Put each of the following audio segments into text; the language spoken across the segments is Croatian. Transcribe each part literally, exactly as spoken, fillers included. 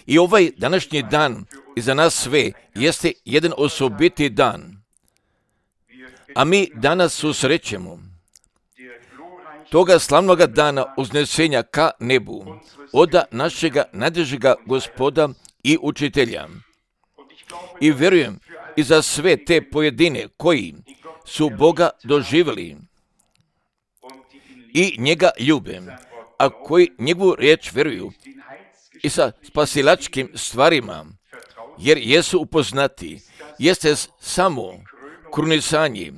I ovaj današnji dan i za nas sve jeste jedan osobiti dan. A mi danas susrećemo toga slavnoga dana uznesenja ka nebu, oda našega najdražega Gospoda i učitelja. I vjerujem i za sve te pojedine koji su Boga doživjeli i njega ljube, a koji njegovu riječ vjeruju i sa spasilačkim stvarima, jer jesu upoznati, jeste samo krunisanje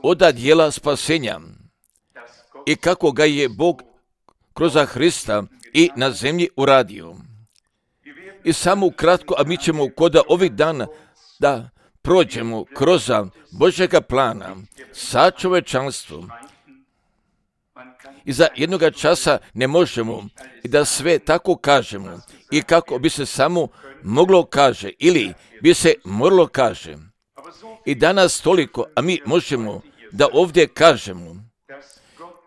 oda djela spasenja i kako ga je Bog kroz Hrista i na zemlji uradio. I samo kratko, a mi ćemo koda ovih dana da prođemo kroz Božjega plana sa čovečanstvom. I za jednoga časa ne možemo i da sve tako kažemo i kako bi se samo moglo kaže ili bi se moralo kaže. I danas toliko, a mi možemo da ovdje kažemo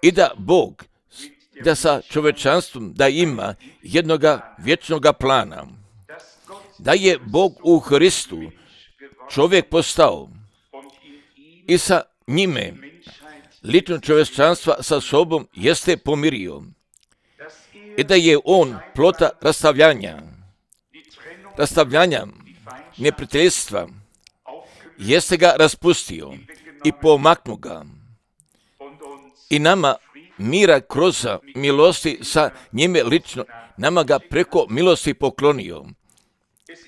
i da Bog, da sa čovečanstvom da ima jednoga vječnoga plana, da je Bog u Hristu čovjek postao i sa njime lično čovječanstva sa sobom jeste pomirio i da je on plota rastavljanja, rastavljanja neprijateljstva, jeste ga raspustio i pomaknu ga i nama mira kroz milosti sa njime lično, nama ga preko milosti poklonio.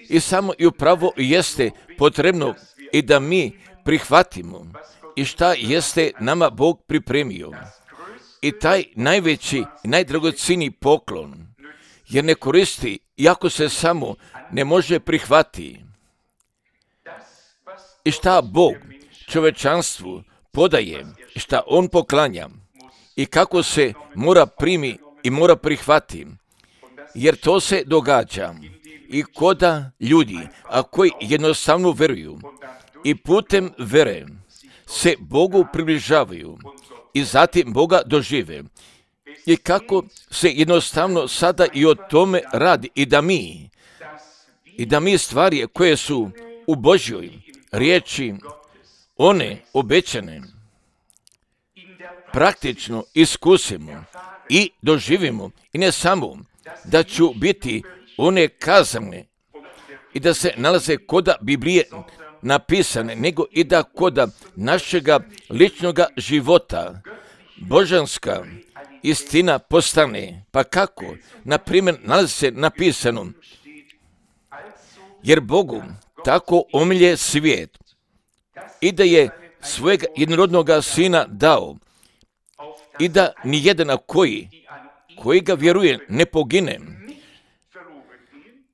I samo i upravo jeste potrebno i da mi prihvatimo i šta jeste nama Bog pripremio. I taj najveći i najdragocjeniji poklon, jer ne koristi, iako se samo ne može prihvatiti. I šta Bog čovečanstvu podaje, šta on poklanja i kako se mora primi i mora prihvati, jer to se događa i koda ljudi, a koji jednostavno veruju i putem vere se Bogu približavaju i zatim Boga dožive. I kako se jednostavno sada i o tome radi i da mi, i da mi stvari koje su u Božjoj riječi, one obećane, praktično iskusimo i doživimo i ne samo da ću biti one kazane i da se nalaze koda Biblije napisane, nego i da koda našega ličnoga života božanska istina postane. Pa kako? Na primjer, nalazi se napisano, jer Bogu tako omilje svijet i da je svojeg jednorodnoga sina dao i da nijedan koji, koji ga vjeruje ne pogine,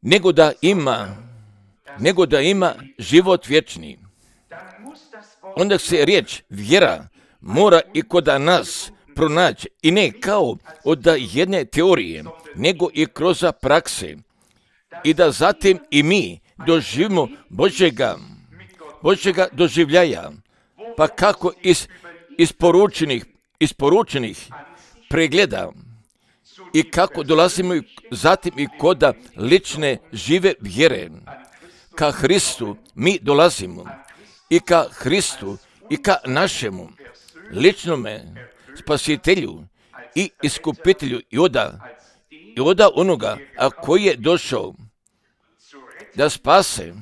nego da ima, nego da ima život vječni. Onda se riječ vjera mora i kod nas pronaći i ne kao od jedne teorije, nego i kroz prakse i da zatim i mi doživimo Božjega, Božjega doživljaja, pa kako iz isporučenih, isporučenih pregleda i kako dolazimo zatim i koda lične žive vjere. Ka Hristu mi dolazimo i ka Hristu i ka našemu ličnome spasitelju i iskupitelju i oda, i oda onoga a koji je došao da spase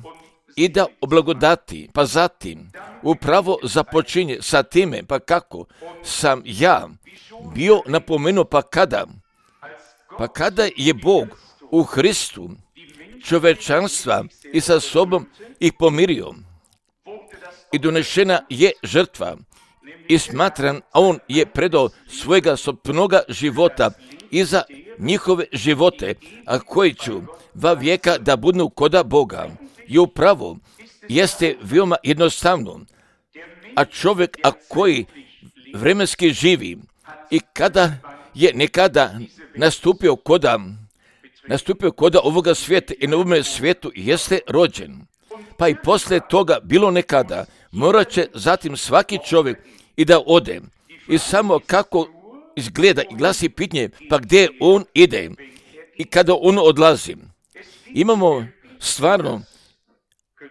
i da oblagodati, pa zatim upravo započinje sa time, pa kako sam ja bio napomenuo, pa kada, pa kada je Bog u Hristu čovečanstva i sa sobom ih pomirio i donešena je žrtva i smatran, a on je predao svojega sopnoga života i za njihove živote, a koji ću va vijeka da budu koda Boga. I upravo jeste veoma jednostavno, a čovjek a koji vremenski živi i kada je nekada nastupio koda, nastupio koda ovoga svijeta i na ovome svijetu jeste rođen, pa i poslije toga bilo nekada, morat će zatim svaki čovjek i da ode i samo kako izgleda i glasi pitanje, pa gdje on ide i kada on odlazi. Imamo stvarno,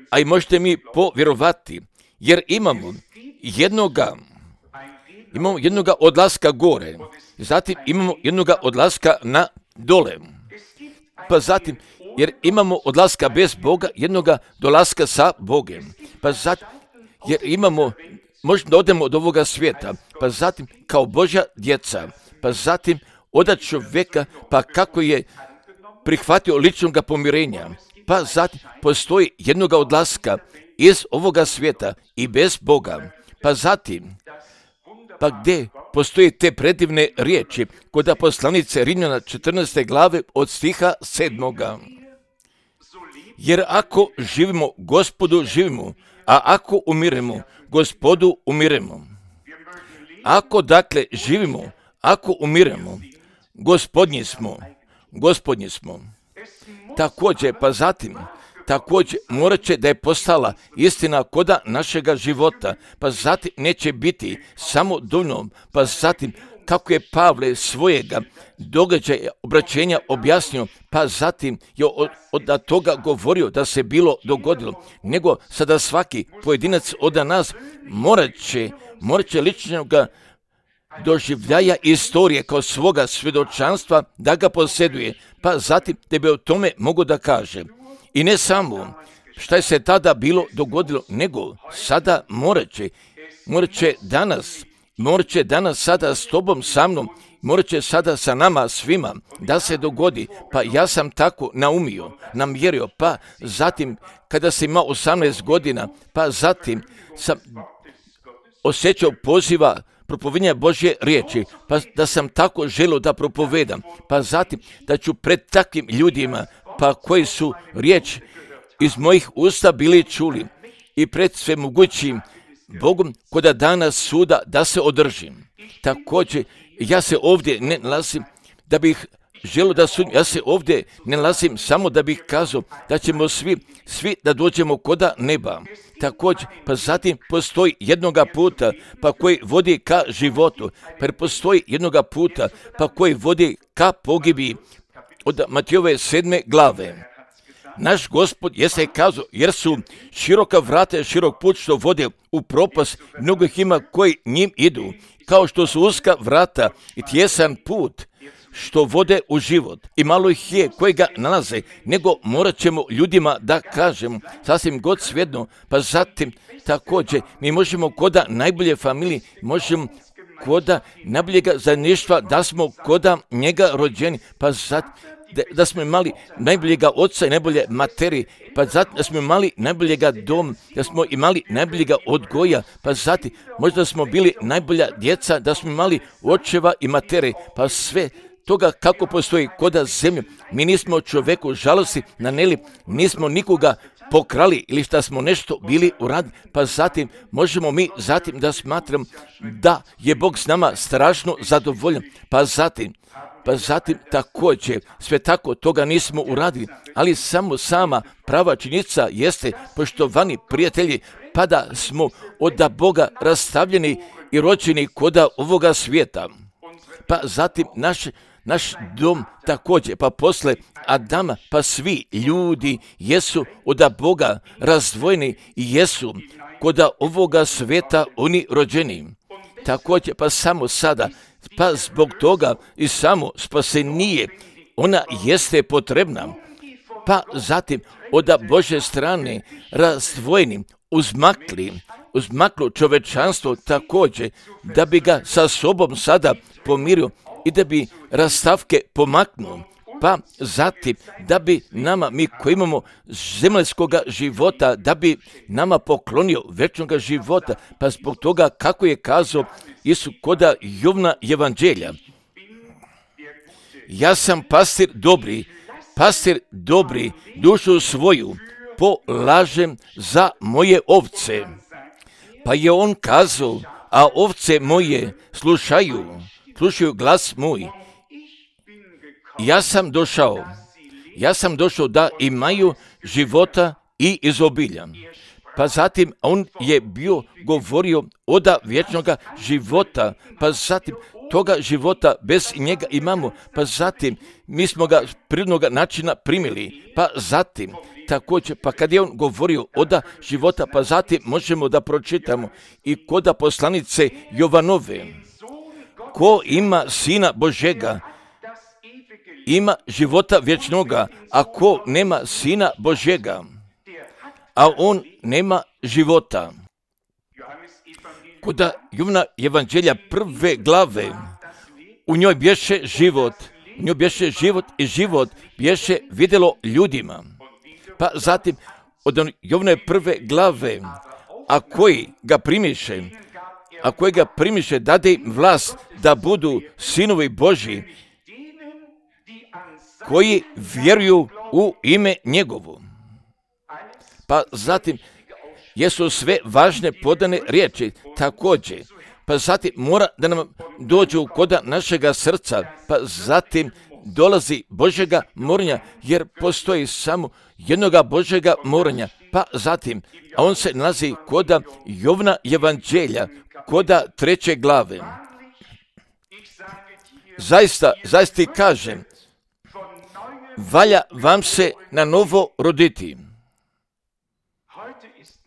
a i možete mi povjerovati, jer imamo jednoga, imamo jednoga odlaska gore, zatim imamo jednoga odlaska na dole, pa zatim, jer imamo odlaska bez Boga, jednoga dolaska sa Bogem, pa zatim, jer imamo, možemo da odemo od ovoga svijeta, pa zatim kao Božja djeca, pa zatim od čovjeka, pa kako je prihvatio ličnog pomirenja, pa zatim postoji jednoga odlaska iz ovoga svijeta i bez Boga, pa zatim, pa gdje postoje te predivne riječi kod poslanice Rimljana četrnaeste glave od stiha sedmoga. Jer ako živimo, Gospodu živimo, a ako umiremo, Gospodu umiremo. Ako dakle živimo, ako umiremo, Gospodnji smo, Gospodnji smo. Također, pa zatim, također morat će da je postala istina koda našega života, pa zatim neće biti samo dovoljno, pa zatim kako je Pavle svojega događaja obraćenja objasnio, pa zatim je od, od toga govorio da se bilo dogodilo, nego sada svaki pojedinac od nas morat će, morat će ličnoga doživljaja istorije kao svoga svjedočanstva da ga posjeduje, pa zatim tebe o tome mogu da kaže. I ne samo šta je se tada bilo dogodilo, nego sada morat će, morat će danas, morat će danas sada s tobom, sa mnom, morat će sada sa nama svima da se dogodi. Pa ja sam tako naumio, namjerio, pa zatim kada sam imao osamnaest godina, pa zatim sam osjećao poziva propovedanja Božje riječi, pa da sam tako želio da propovedam, pa zatim da ću pred takvim ljudima, pa koji su riječ iz mojih usta bili čuli i pred svemogućim Bogom koda dana suda da se održim. Također, ja se ovdje ne nalazim da bih želio da sudim, ja se ovdje ne nalazim samo da bih kazao da ćemo svi, svi da dođemo koda neba. Također, pa zatim postoji jednoga puta pa koji vodi ka životu, pa postoji jednoga puta pa koji vodi ka pogibiji od Matijove sedme glave. Naš Gospod jeste kazao, jer su široka vrata, širok put što vode u propast, mnogo ih ima koji njim idu, kao što su uska vrata i tjesan put što vode u život. I malo ih je koji ga nalaze, nego morat ćemo ljudima da kažemo, sasvim god svejedno, pa zatim također mi možemo koda najbolje familije, možemo koda najboljega zajedništva da smo koda njega rođeni, pa zatim Da, da smo imali najboljega oca i najbolje materi, pa zatim da smo imali najboljega doma, da smo imali najboljega odgoja, pa zatim možda smo bili najbolja djeca, da smo imali očeva i matere, pa sve toga kako postoji koda zemlju. Mi nismo čovjeku žalosti naneli, nismo nikoga pokrali ili šta smo nešto bili uradili, pa zatim možemo mi zatim da smatram da je Bog s nama strašno zadovoljan, pa zatim Pa zatim također, sve tako toga nismo uradili, ali samo sama prava činjenica jeste, poštovani prijatelji, pa da smo od Boga rastavljeni i rođeni koda ovoga svijeta. Pa zatim naš, naš dom također, pa posle Adama, pa svi ljudi jesu od Boga razdvojeni i jesu koda ovoga svijeta oni rođeni. Također, pa samo sada, pa zbog toga i samo spasenije, ona jeste potrebna. Pa zatim od Božje strane razdvojeni, uzmakli, uzmaklo čovečanstvo također, da bi ga sa sobom sada pomirio i da bi rastavke pomaknuo. Pa zatim da bi nama, mi koji imamo zemaljskoga života, da bi nama poklonio večnoga života, pa zbog toga kako je kazao Isus koda Jovna evanđelja. Ja sam pastir dobri, pastir dobri, dušu svoju polažem za moje ovce. Pa je on kazao, a ovce moje slušaju, slušaju glas moj. Ja sam došao, ja sam došao da imaju života i izobilja. Pa zatim on je bio govorio od vječnoga života, pa zatim toga života bez njega imamo, pa zatim mi smo ga prirodnog načina primili, pa zatim također, pa kad je on govorio oda života, pa zatim možemo da pročitamo i koda poslanice Jovanove. Ko ima Sina Božega, ima života vječnoga, a ko nema Sina Božega, a on nema života. Koda Jovana evanđelja prve glave, u njoj bješe život, u njoj bješe život i život bješe vidjelo ljudima. Pa zatim, od Jovane prve glave, a koji ga primiše, a koji ga primiše, dade im vlast da budu sinovi Božji, koji vjeruju u ime njegovo. Pa zatim, jesu sve važne podane riječi također. Pa zatim mora da nam dođu koda našega srca, pa zatim dolazi Božjega morenja, jer postoji samo jednoga Božjega morenja. Pa zatim, a on se nalazi koda Jovana evanđelja, koda treće glave. Zaista, zaista ti kažem, valja vam se na novo roditi.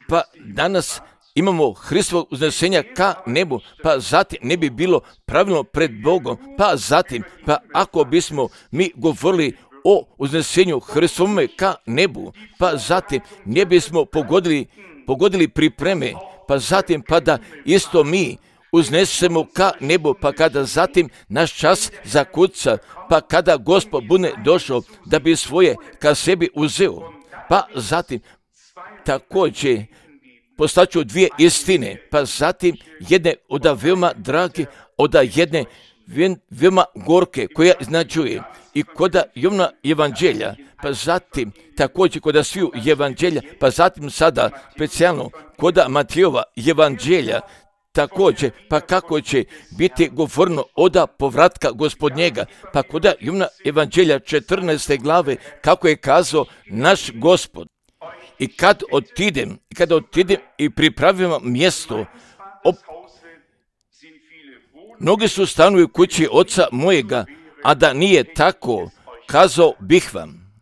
Pa danas imamo Hristovog uznesenja ka nebu, pa zatim ne bi bilo pravilno pred Bogom, pa zatim, pa ako bismo mi govorili o uznesenju Hristovome ka nebu, pa zatim ne bismo pogodili, pogodili pripreme, pa zatim pa da isto mi uznesemo ka nebu, pa kada zatim naš čas zakuca, pa kada Gospod bude došao da bi svoje ka sebi uzeo, pa zatim također postaću dvije istine, pa zatim jedne oda veoma drage, oda jedne veoma gorke koja iznačuje i koda Jovana evanđelja, pa zatim također koda sviju evanđelja, pa zatim sada specijalno koda Matejova evanđelja, također, pa kako će biti govorno oda povratka Gospodnjega, pa koda Jovana evanđelja četrnaeste glave, kako je kazao naš Gospod. I kad otidem, kada otidem i pripravim mjesto, op... mnogi su stanovi u kući oca mojega, a da nije tako, kazao bih vam.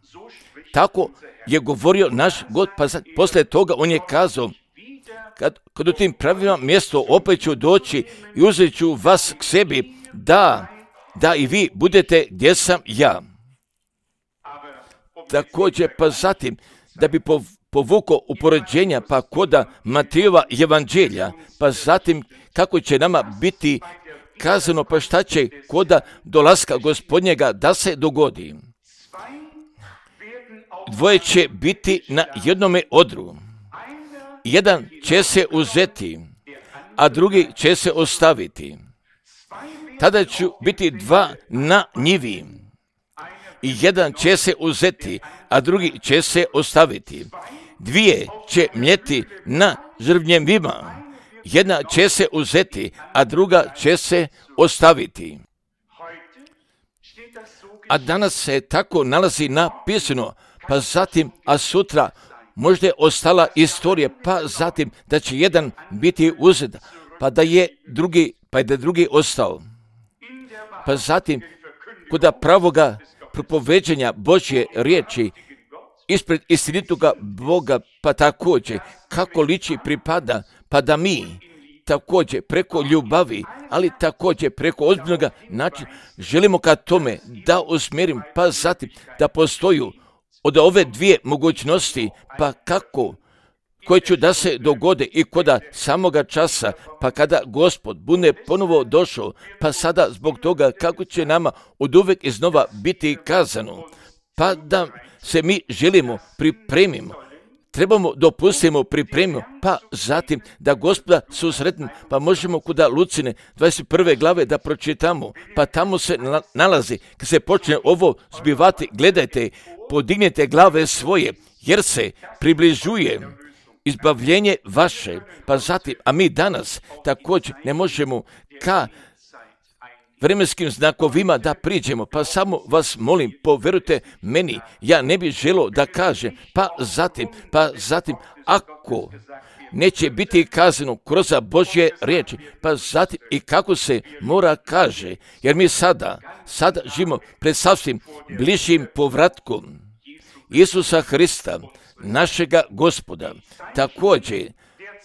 Tako je govorio naš God, pa poslije toga on je kazao, kad, kad u tim pravima mjesto opet ću doći i uzet ću vas k sebi, da, da i vi budete gdje sam ja. Također, pa zatim, da bi pov... povuko upoređenja, pa koda Matejova evanđelja, pa zatim kako će nama biti kazano, pa šta će koda dolaska Gospodnjega da se dogodi. Dvoje će biti na jednome odru. Jedan će se uzeti, a drugi će se ostaviti. Tada će biti dva na njivi. I jedan će se uzeti, a drugi će se ostaviti. Dvije će mljeti na žrvnjevima, jedna će se uzeti, a druga će se ostaviti. A danas se tako nalazi napisano, pa zatim, a sutra možda je ostala istorija, pa zatim da će jedan biti uzet, pa da je drugi, pa da je drugi ostao. Pa zatim, koda pravoga propoveđenja Božje riječi, ispred istinitoga Boga, pa također kako liči pripada, pa da mi također preko ljubavi, ali također preko ozbiljnog načina želimo ka tome da usmjerim, pa zatim da postoju od ove dvije mogućnosti, pa kako koje ću da se dogode i koda samoga časa, pa kada Gospod bude ponovo došao, pa sada zbog toga kako će nama od uvek iznova biti kazano, pa da se mi želimo, pripremimo, trebamo dopustimo, pripremimo, pa zatim da Gospoda susretnemo, pa možemo kuda Lucine dvadeset prve glave da pročitamo, pa tamo se nalazi, kad se počne ovo zbivati, gledajte, podignite glave svoje, jer se približuje izbavljenje vaše, pa zatim, a mi danas također ne možemo ka vremenskim znakovima da priđemo, pa samo vas molim, povjerujte meni, ja ne bih želio da kažem, pa zatim, pa zatim, ako neće biti kazano kroz Božje riječi, pa zatim i kako se mora kaže, jer mi sada, sada živimo pred sasvim bližim povratkom Isusa Hrista, našega Gospoda. Također,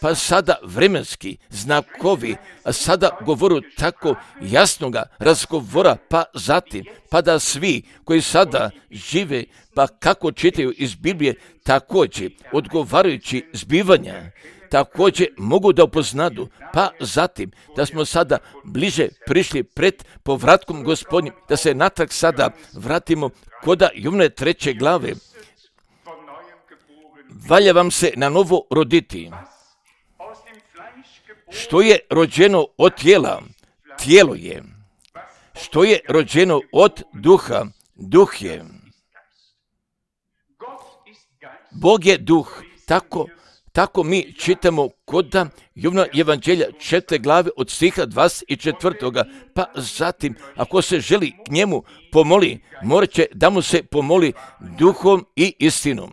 pa sada vremenski znakovi, a sada govoru tako jasnoga razgovora, pa zatim, pa da svi koji sada žive, pa kako čitaju iz Biblije, također odgovarajući zbivanja, također mogu da upoznadu, pa zatim da smo sada bliže prišli pred povratkom Gospodnjim, da se natrag sada vratimo koda Jovne treće glave. Valja vam se na novo roditi. Što je rođeno od tijela, tijelo je. Što je rođeno od duha, duh je. Bog je duh, tako, tako mi čitamo kod Jovna evanđelja četvrte glave od stiha dvadeset četvrtoga. Pa zatim, ako se želi k njemu pomoli, morat će da mu se pomoli duhom i istinom.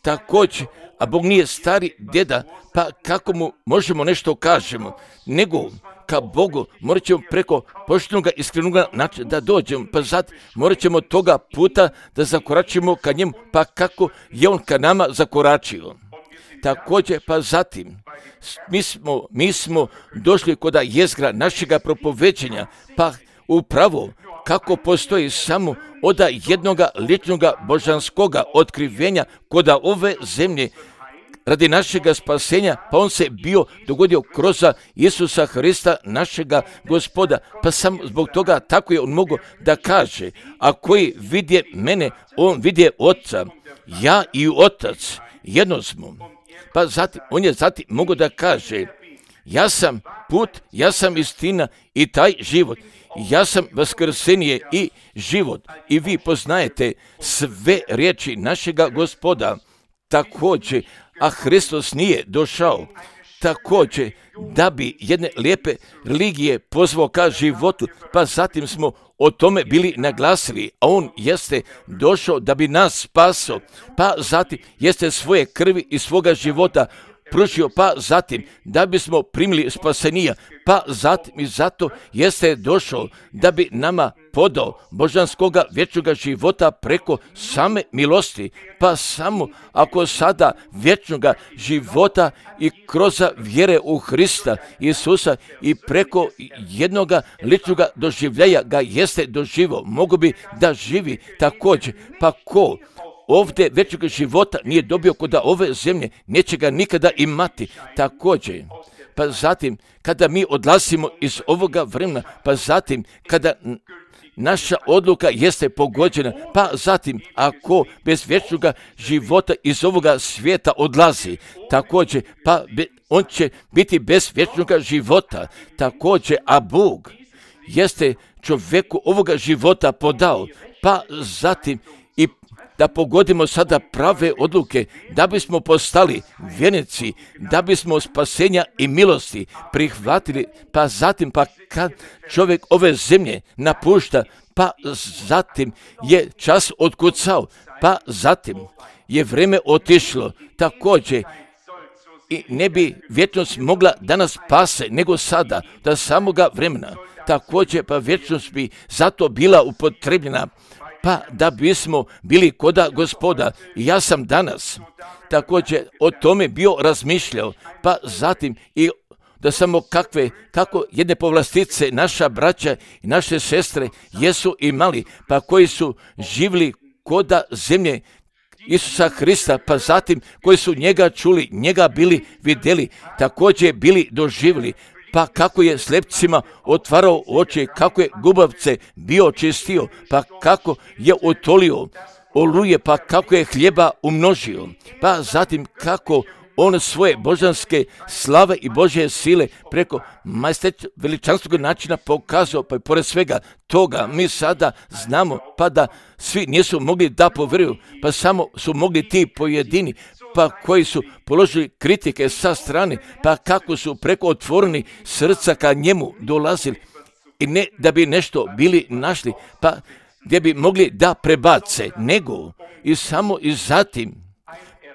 Također, a Bog nije stari djeda, pa kako mu možemo nešto kažemo, nego ka Bogu morat ćemo preko poštenoga iskrenoga načina da dođemo, pa zatim morat ćemo toga puta da zakoračimo ka njemu, pa kako je on ka nama zakoračio. Također, pa zatim, mi smo, mi smo došli kod jezgra našega propoveđenja, pa upravo kako postoji samo od jednoga ličnoga božanskoga otkrivenja kod ove zemlje radi našega spasenja, pa on se bio dogodio kroz Isusa Hrista, našega Gospoda, pa sam zbog toga tako je on mogao da kaže, a koji vidje mene, on vidje Oca, ja i Otac jedno smo. Pa zatim, on je zatim mogao da kaže, ja sam put, ja sam istina i taj život. Ja sam vaskrsenje i život i vi poznajete sve riječi našega Gospoda. Također, a Hristos nije došao također da bi jedne lijepe religije pozvao ka životu, pa zatim smo o tome bili naglasili, a on jeste došao da bi nas spasao, pa zatim jeste svoje krvi i svoga života pružio, pa zatim da bismo primili spasenija, pa zatim i zato jeste došao da bi nama podao božanskoga vječnoga života preko same milosti, pa samo ako sada vječnoga života i kroz vjere u Hrista Isusa i preko jednoga ličnoga doživljaja ga jeste doživao, mogu bi da živi također, pa ko ovdje vječnog života nije dobio kod ove zemlje, neće ga nikada imati također. Pa zatim, kada mi odlazimo iz ovoga vremena, pa zatim, kada naša odluka jeste pogođena, pa zatim, ako bez vječnog života iz ovoga svijeta odlazi, također, pa be, on će biti bez vječnog života, također, a Bog jeste čovjeku ovoga života podao, pa zatim, i da pogodimo sada prave odluke, da bismo postali vjernici, da bismo spasenja i milosti prihvatili, pa zatim, pa kad čovjek ove zemlje napušta, pa zatim je čas otkucao, pa zatim je vrijeme otišlo, također, i ne bi vječnost mogla da nas spase, nego sada, da samoga vremena, također, pa vječnost bi zato bila upotrebljena, pa da bismo bili koda Gospoda. Ja sam danas također o tome bio razmišljao, pa zatim i da samo kakve, kako jedne povlastice naša braća i naše sestre jesu imali, pa koji su živjeli koda zemlje Isusa Hrista, pa zatim koji su njega čuli, njega bili vidjeli, također bili doživjeli, pa kako je slepcima otvarao oči, kako je gubavce bio čistio, pa kako je otolio oluje, pa kako je hljeba umnožio, pa zatim kako on svoje božanske slave i Božje sile preko majesteta veličanstvenog načina pokazao, pa i pored svega toga mi sada znamo, pa da svi nisu mogli da povjeruju, pa samo su mogli ti pojedini, pa koji su položili kritike sa strane, pa kako su preko otvoreni srca ka njemu dolazili i ne da bi nešto bili našli, pa gdje bi mogli da prebace, nego i samo i zatim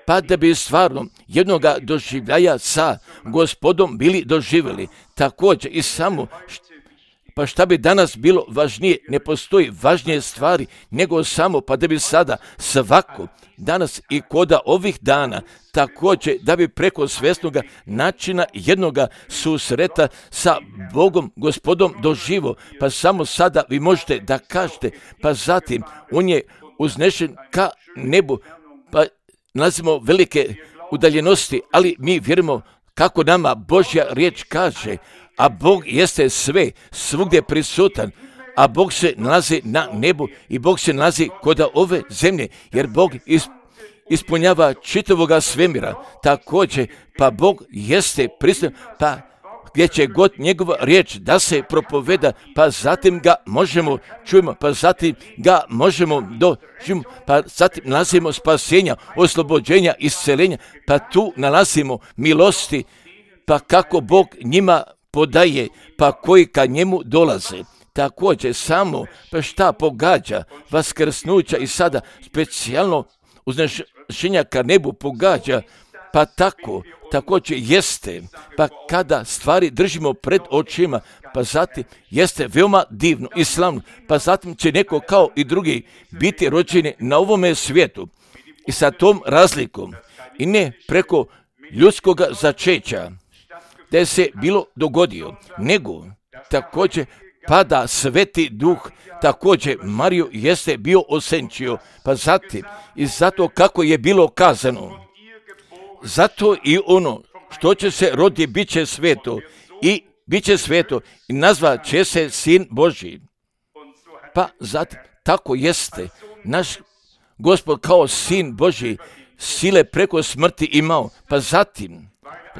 pa da bi stvarno jednoga doživljaja sa Gospodom bili doživjeli. Također i samo, pa šta bi danas bilo važnije, ne postoji važnije stvari nego samo, pa da bi sada svako, danas i koda ovih dana, također da bi preko svjesnoga načina jednoga susreta sa Bogom, Gospodom doživo, pa samo sada vi možete da kažete, pa zatim on je uznešen ka nebu, pa nalazimo velike udaljenosti, ali mi vjerujemo kako nama Božja riječ kaže, a Bog jeste sve, svugdje prisutan, a Bog se nalazi na nebu i Bog se nalazi kod ove zemlje, jer Bog ispunjava čitavoga svemira. Također, pa Bog jeste prisutan, pa gdje će god njegova riječ da se propoveda, pa zatim ga možemo čujemo, pa zatim ga možemo doživimo, pa zatim nalazimo spasenja, oslobođenja, isceljenja, pa tu nalazimo milosti, pa kako Bog njima podaje, pa koji ka njemu dolaze. Također samo, pa šta pogađa vaskrsnuća i sada specijalno uznešenja ka nebu pogađa, pa tako, također jeste, pa kada stvari držimo pred očima, pa zatim jeste veoma divno i slavno, pa zatim će neko kao i drugi biti rođeni na ovome svijetu i sa tom razlikom i ne preko ljudskog začeća da je se bilo dogodio, nego također pada Sveti Duh, također Mariju jeste bio osenčio, pa zatim i zato kako je bilo kazano, zato i ono što će se rodi bit će sveto i bit će sveto i nazvat će se Sin Božji. Pa zatim tako jeste naš Gospod kao Sin Božji sile preko smrti imao, pa zatim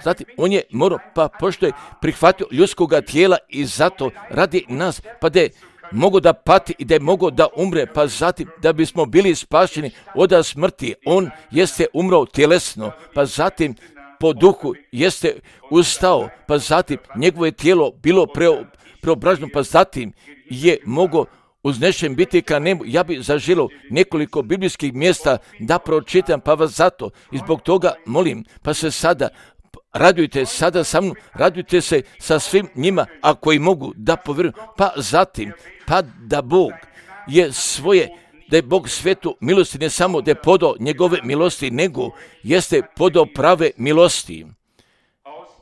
Zatim, on je morao, pa pošto je prihvatio ljudskoga tijela i zato radi nas, pa da je mogo da pati i da je mogo da umre, pa zatim da bismo bili spašeni od smrti. On jeste umro tjelesno, pa zatim po duhu jeste ustao, pa zatim njegovo je tijelo bilo preo, preobraženo, pa zatim je mogo uznešen biti ka nebu. Ja bih zaželio nekoliko biblijskih mjesta da pročitam, pa vas zato i zbog toga molim, pa se sada radujte sada sa mnom, radujte se sa svim njima, ako i mogu da povjeruju, pa zatim, pa da Bog je svoje, da je Bog svetu milosti, ne samo da je podao njegove milosti, nego jeste podao prave milosti.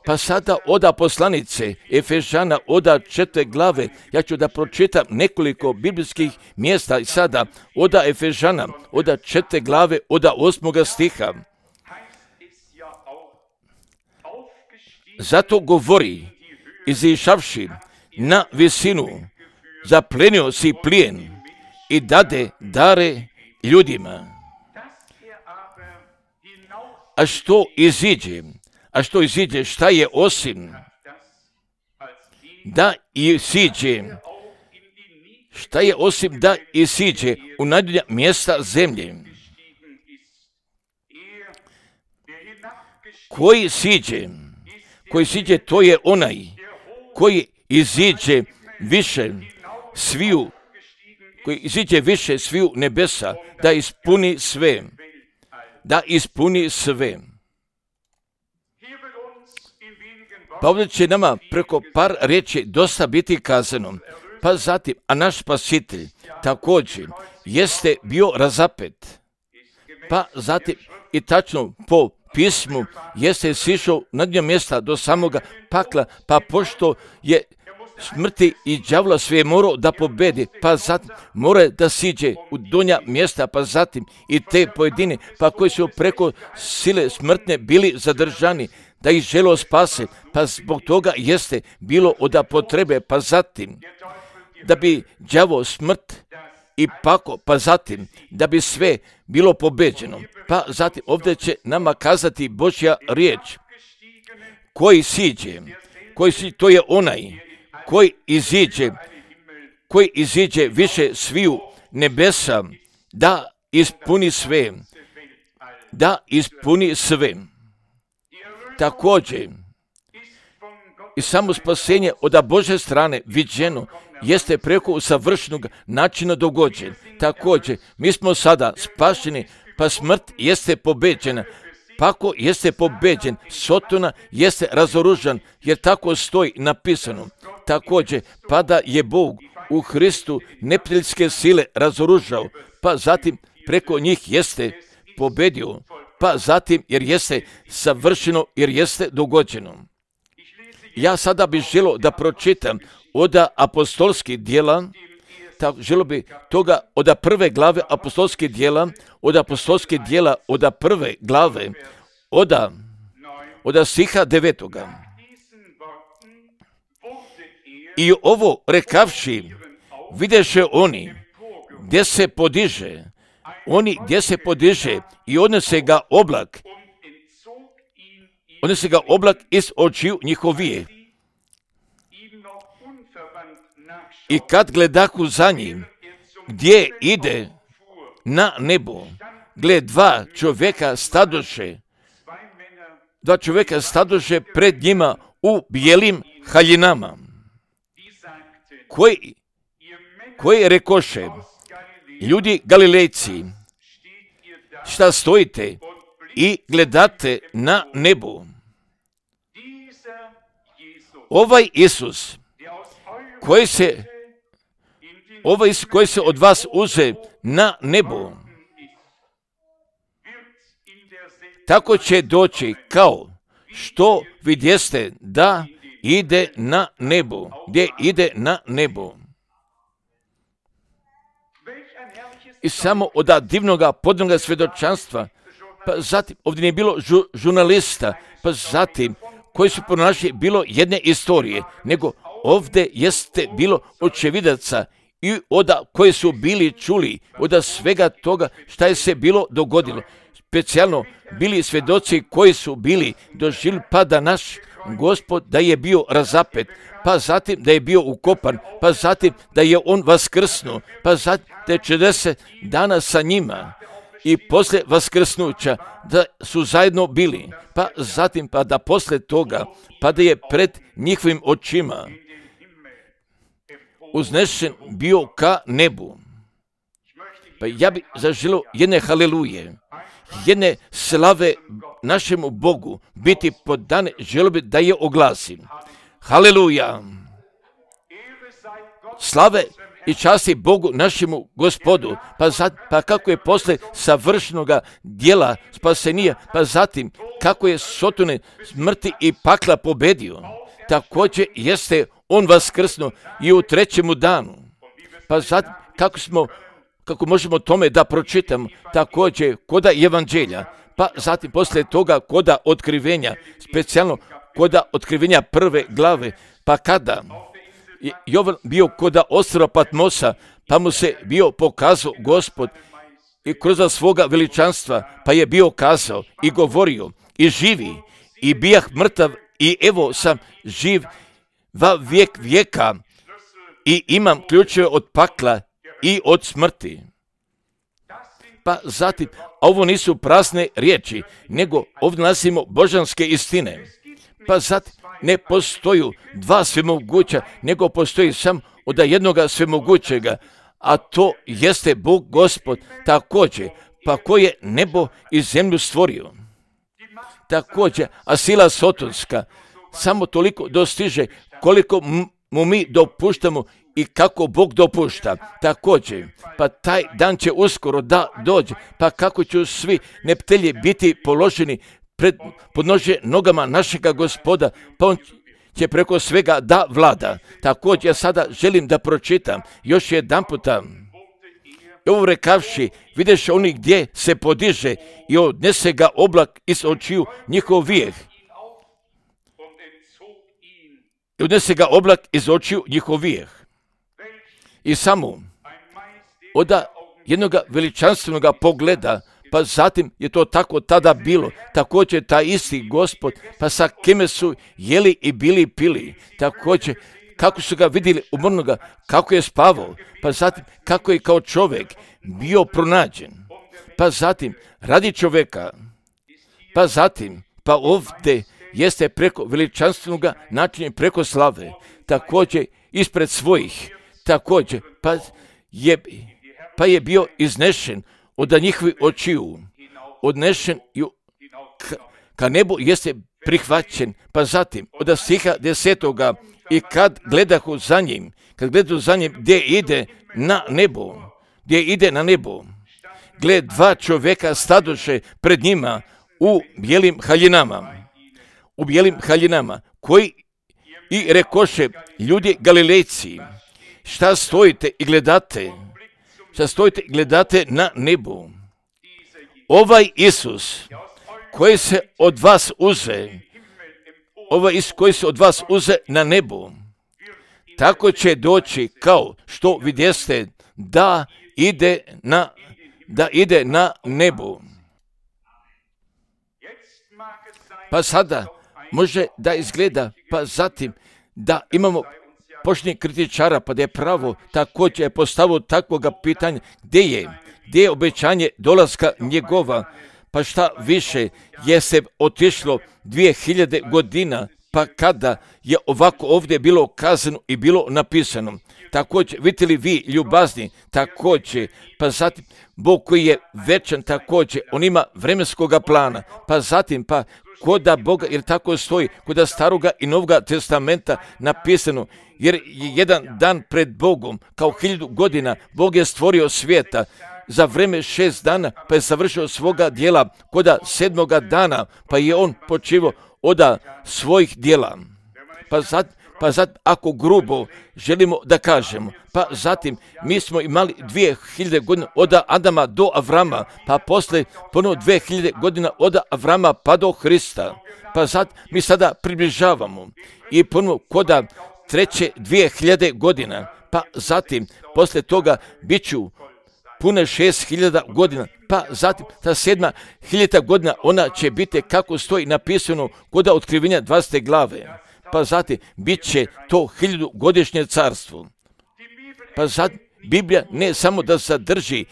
Pa sada oda poslanice Efežana, oda četiri glave, ja ću da pročitam nekoliko biblijskih mjesta i sada oda Efežana, oda četiri glave, oda osmoga stiha. Zato govori, izišavši na visinu, zaplenio si plijen i dade dare ljudima. A što iziđe? A što iziđe? Šta je osim da isiđe? Šta je osim da isiđe u najdulja mjesta zemlje? Koji siđe? Koji siđe, to je onaj koji iziđe više sviju, koji iziđe više sviju nebesa, da ispuni sve, da ispuni sve. Pa ovdje će nama preko par riječi dosta biti kazano. Pa zatim, a naš Spasitelj također jeste bio razapet. Pa zatim i tačno po pismu jeste sišao na dnje mjesta do samoga pakla, pa pošto je smrti i đavla sve morao da pobedi, pa zatim mora da siđe u donja mjesta, pa zatim i te pojedine, pa koji su preko sile smrtne bili zadržani, da ih želo spase, pa zbog toga jeste bilo od potrebe, pa zatim da bi đavo smrt i pako, pa zatim da bi sve bilo pobeđeno. Pa zatim ovdje će nama kazati Božja riječ. Koji siđe, koji siđe, to je onaj koji iziđe, koji iziđe više sviju nebesa, da ispuni sve, da ispuni sve. Također, i samo spasenje od Božje strane viđeno jeste preko usavršenog načina dogođen. Također, mi smo sada spašeni, pa smrt jeste pobeđena, Pa ako jeste pobeđen, Sotona jeste razoružan, jer tako stoji napisano. Također, pa da je Bog u Hristu neprijateljske sile razoružao, pa zatim preko njih jeste pobedio, pa zatim jer jeste savršeno, jer jeste dogođeno. Ja sada bih želio da pročitam od apostolskih djela, tako želio bi toga od prve glave apostolskih djela, od apostolskih djela od prve glave, od, od stiha devetoga. I ovo rekavši, videše oni gdje se podiže, oni gdje se podiže i odnese ga oblak, odnese ga oblak iz očiju njihovije. I kad gledahu za njim, gdje ide na nebo, gled dva čovjeka stadoše, dva čovjeka stadoše pred njima u bijelim haljinama, koji, koji rekoše, ljudi Galilejci, šta stojite i gledate na nebo? Ovaj Isus, koji se, ovaj Isus koji se od vas uze na nebo, tako će doći kao što vidjeste da ide na nebo, gdje ide na nebo. I samo od divnoga podnoga svjedočanstva, pa zatim ovdje nije bilo žu, žurnalista, pa zatim koji su pronašli bilo jedne istorije, nego ovdje jeste bilo očevidaca i od koji su bili čuli od svega toga šta je se bilo dogodilo. Specijalno bili svjedoci koji su bili doživjeli pa da naš Gospod da je bio razapet, pa zatim da je bio ukopan, pa zatim da je on vaskrsnuo, pa zatim da je četrdeset dana sa njima i poslije vaskrsnuća da su zajedno bili, pa zatim pa da poslije toga pa da je pred njihovim očima uznešen bio ka nebu. Pa ja bih zaželio jedne haleluje, jedne slave našemu Bogu biti podane, želio bi da je oglasim. Haleluja! Slave i časti Bogu našemu Gospodu, pa, zat, pa kako je posle savršenoga dijela spasenija, pa zatim kako je Sotone smrti i pakla pobedio, također jeste on vaskrsnuo i u trećemu danu. Pa zatim kako smo kako možemo tome da pročitamo, također koda evanđelja, pa zatim poslije toga koda otkrivenja, specijalno koda otkrivenja prve glave, pa kada je Jovan bio koda ostrva Patmosa, pa mu se bio pokazao Gospod i kroz svoga veličanstva, pa je bio kazao i govorio i živi i bijah mrtav i evo sam živ va vijek vijeka i imam ključeve od pakla i od smrti. Pa zatim, a ovo nisu prazne riječi, nego ovdje nalazimo božanske istine. Pa zatim, ne postoji dva svemoguća, nego postoji sam od jednoga svemogućega, a to jeste Bog Gospod također, pa koji je nebo i zemlju stvorio. Također, a sila sotonska samo toliko dostiže koliko mu mi dopuštamo i kako Bog dopušta. Također, pa taj dan će uskoro da dođe, pa kako će svi neptelji biti položeni pred podnožje nogama našega Gospoda, pa on će preko svega da vlada. Također, ja sada želim da pročitam još jedan puta. Ovo rekavši, videš oni gdje se podiže i odnese ga oblak iz očiju njihovih. I odnese ga oblak iz očiju njihovih. I samo od jednog veličanstvenog pogleda, pa zatim je to tako tada bilo, također taj isti Gospod, pa sa kime su jeli i bili pili, također kako su ga vidjeli umrnoga, kako je spavao, pa zatim kako je kao čovjek bio pronađen, pa zatim radi čovjeka, pa zatim pa ovdje jeste preko veličanstvenog načina, preko slave, također ispred svojih, također pa je, pa je bio iznešen od njihovih očiju, odnešen i ka nebu jeste prihvaćen, pa zatim od stiha desetoga i kad gledahu za njim, kad gledaju za njim gdje ide na nebo, gdje ide na nebo, gled dva čovjeka stadoše pred njima u bijelim haljinama, u bijelim haljinama, koji i rekoše, ljudi Galilejci, šta stojite i gledate, šta stojite i gledate na nebu? Ovaj Isus, koji se od vas uze, ovaj Isus koji se od vas uze na nebu, tako će doći kao što vidjeste da ide na, da ide na nebu. Pa sada može da izgleda, pa zatim da imamo počni kritičara, pa da je pravo također je postavio takvoga pitanja, gdje je, gdje je obećanje dolaska njegova, pa šta više je se otišlo dvije hiljade godina, pa kada je ovako ovdje bilo kazano i bilo napisano. Također, vidite li vi ljubazni, također, pa zatim Bog koji je večan, također, on ima vremenskoga plana, pa zatim, pa koda Boga, jer tako stoji, koda staroga i novoga testamenta napisano, jer je jedan dan pred Bogom, kao hiljadu godina, Bog je stvorio svijeta, za vreme šest dana, pa je završio svoga dijela, koda sedmoga dana, pa je on počivao od svojih dijela. Pa zatim, pa zatim, ako grubo želimo da kažemo, pa zatim mi smo imali dvije hiljade godina od Adama do Avrama, pa posle ponovo dvije hiljade godina od Avrama pa do Hrista. Pa zatim mi sada približavamo i ponovo koda treće dvije hiljade godina, pa zatim posle toga bit ću pune šest hiljada godina, pa zatim ta sedma hiljada godina ona će biti kako stoji napisano koda otkrivenja dvadesete glave. Pa zatim bit će to hiljadu godišnje carstvo. Pa zatim Biblija ne samo da sadrži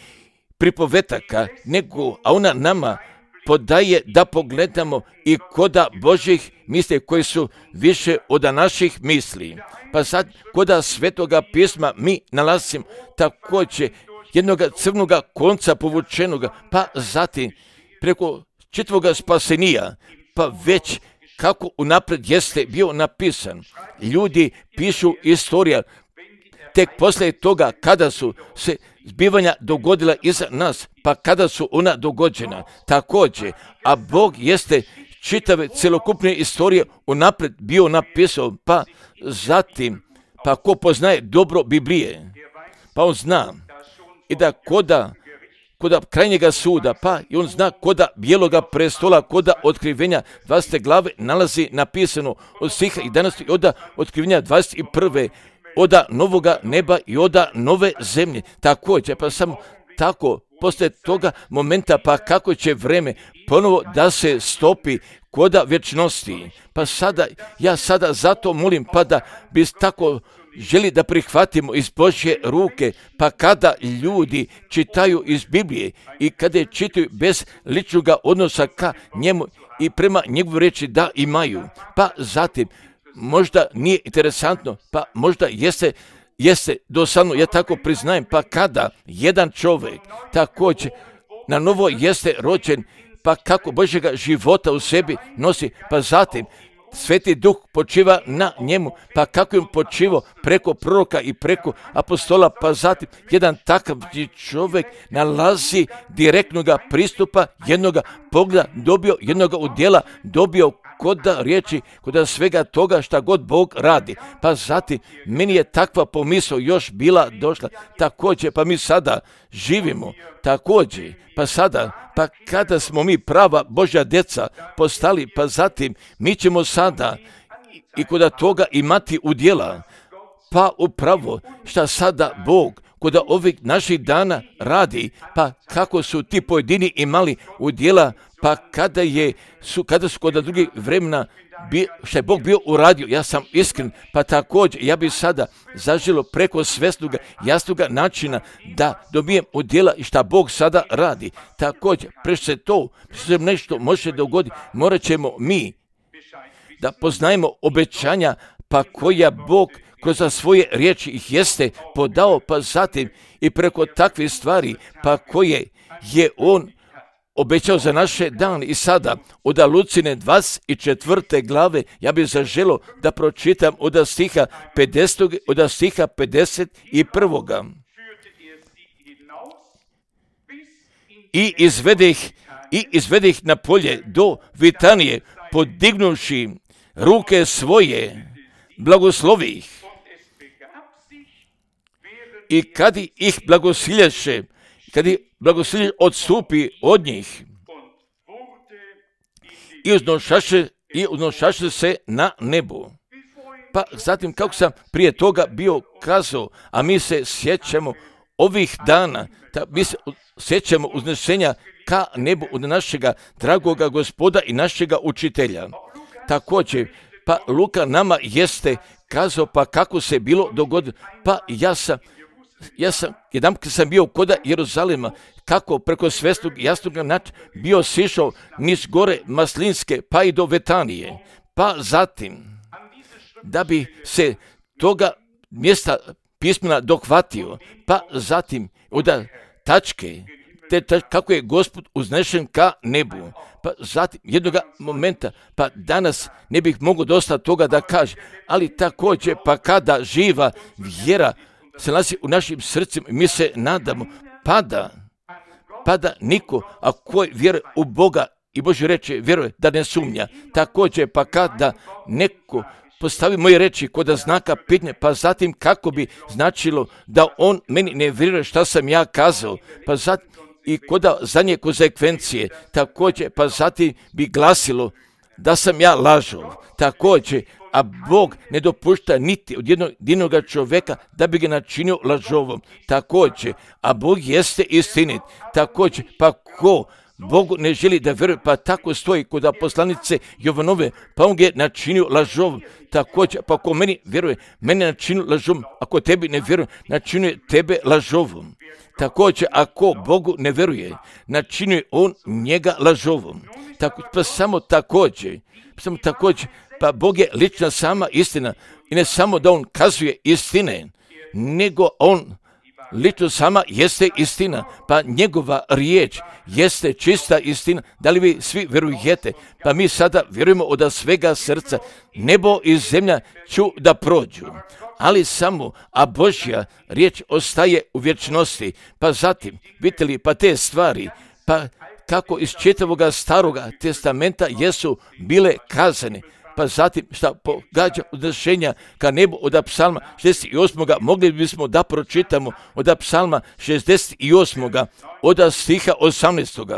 pripovetaka, nego a ona nama podaje da pogledamo i koda Božjih misli koji su više od naših misli. Pa sad koda Svetoga pisma mi nalazimo također jednog crnog konca povučenoga, pa zatim preko čitavoga spasenija, pa već kako unaprijed jeste bio napisan. Ljudi pišu istorija tek poslije toga kada su se zbivanja dogodila iza nas, pa kada su ona dogođena. Također, a Bog jeste čitave celokupne istorije unaprijed bio napisao, pa zatim, pa ko poznaje dobro Biblije, pa on zna i da koda koda krajnjega suda, pa i on zna koda bijeloga prestola, koda otkrivenja dvadesete glave nalazi napisano od stiha jedanaest i od otkrivenja dvadeset prve od novoga neba i od nove zemlje. Također, pa samo tako, poslije toga momenta, pa kako će vreme ponovo da se stopi koda vječnosti. Pa sada, ja sada zato molim, pa da bi tako želi da prihvatimo iz Božje ruke, pa kada ljudi čitaju iz Biblije i kada je čitaju bez ličnog odnosa ka njemu i prema njegovoj riječi da imaju, pa zatim možda nije interesantno, pa možda jeste, jeste dosadno, ja tako priznajem, pa kada jedan čovjek također na novo jeste rođen, pa kako Božjega života u sebi nosi, pa zatim Sveti Duh počiva na njemu, pa kako im počivao preko proroka i preko apostola, pa zatim jedan takav čovjek nalazi direktnog pristupa, jednog pogleda, dobio jednog udjela, dobio koda riječi, koda svega toga šta god Bog radi. Pa zatim, meni je takva pomisao još bila došla. Također, pa mi sada živimo, također, pa sada, pa kada smo mi prava Božja djeca postali, pa zatim mi ćemo sada i koda toga imati udjela. Pa upravo šta sada Bog koda ovih naših dana radi, pa kako su ti pojedini imali udjela, pa kada je su kada su kod drugih vremena bi, što je Bog bio uradio, ja sam iskren, pa također ja bi sada zaželo preko svesnoga, jasnoga načina da dobijem udjela i šta Bog sada radi. Također, preš se to, što nešto može dogoditi, morat ćemo mi da poznajemo obećanja, pa koja Bog kroz svoje riječi ih jeste podao, pa zatim i preko takvih stvari, pa koje je on obećao za naše dane. I sada od Lucine dvadeset četvrte glave ja bih zaželio da pročitam od stiha pedesetog od stiha pedeset prvog. I izvede ih, i izvede ih na polje do Vitanije, podignuši ruke svoje, blagoslovi ih. I kad ih blagosiljaše, kad ih blagosiljaše, odstupi od njih i uznošaše, i uznošaše se na nebu. Pa zatim, kako sam prije toga bio kazao, a mi se sjećamo ovih dana, da mi se sjećamo uznešenja ka nebu od našega dragoga Gospoda i našega učitelja. Također, pa Luka nama jeste kazao pa kako se bilo dogodilo. Pa ja sam, ja sam, jedan kad sam bio kod Jeruzalema, kako preko svestog jasnog načina bio sišao niz gore Maslinske pa i do Vetanije. Pa zatim, da bi se toga mjesta pismena dohvatio, pa zatim od tačke, te tačke, kako je Gospod uznešen ka nebu. Pa zatim jednoga momenta, pa danas ne bih mogao dosta toga da kaže, ali također pa kada živa vjera se nalazi u našim srcima, mi se nadamo, pada, pada niko, a koji vjeruje u Boga i Božje reče, vjeruje da ne sumnja. Također pa kada neko postavi moje reči kod znaka pitanja, pa zatim kako bi značilo da on meni ne vjeruje šta sam ja kazao, pa zatim i kod zadnje konsekvencije, također pa zatim bi glasilo da sam ja lažao. Također, a Bog ne dopušta niti od jednog jedinog čovjeka da bi ga načinio lažovom. Također, a Bog jeste istinit. Također, pa ko Bogu ne želi da vjeruje, pa tako stoji kod poslanice Jovanove, pa on ga je načinio lažovom. Također, pa ko meni vjeruje, mene načinio lažovom, ako tebi ne vjeruje, načinio tebe lažovom. Također, ako Bogu ne vjeruje, načinio on njega lažovom. Tako, pa samo također, samo također, pa Bog je lična sama istina i ne samo da on kazuje istine, nego on lično sama jeste istina, pa njegova riječ jeste čista istina. Da li vi svi vjerujete? Pa mi sada vjerujemo od svega srca. Nebo i zemlja ću da prođu, ali samo, a Božja riječ ostaje u vječnosti. Pa zatim, vidite li, pa te stvari, pa kako iz čitavoga staroga testamenta jesu bile kazane, pa zatim šta pogađa uznešenja ka nebu od psalma šezdeset osam. Mogli bismo da pročitamo od psalma šezdeset osam. od stiha osamnaestog.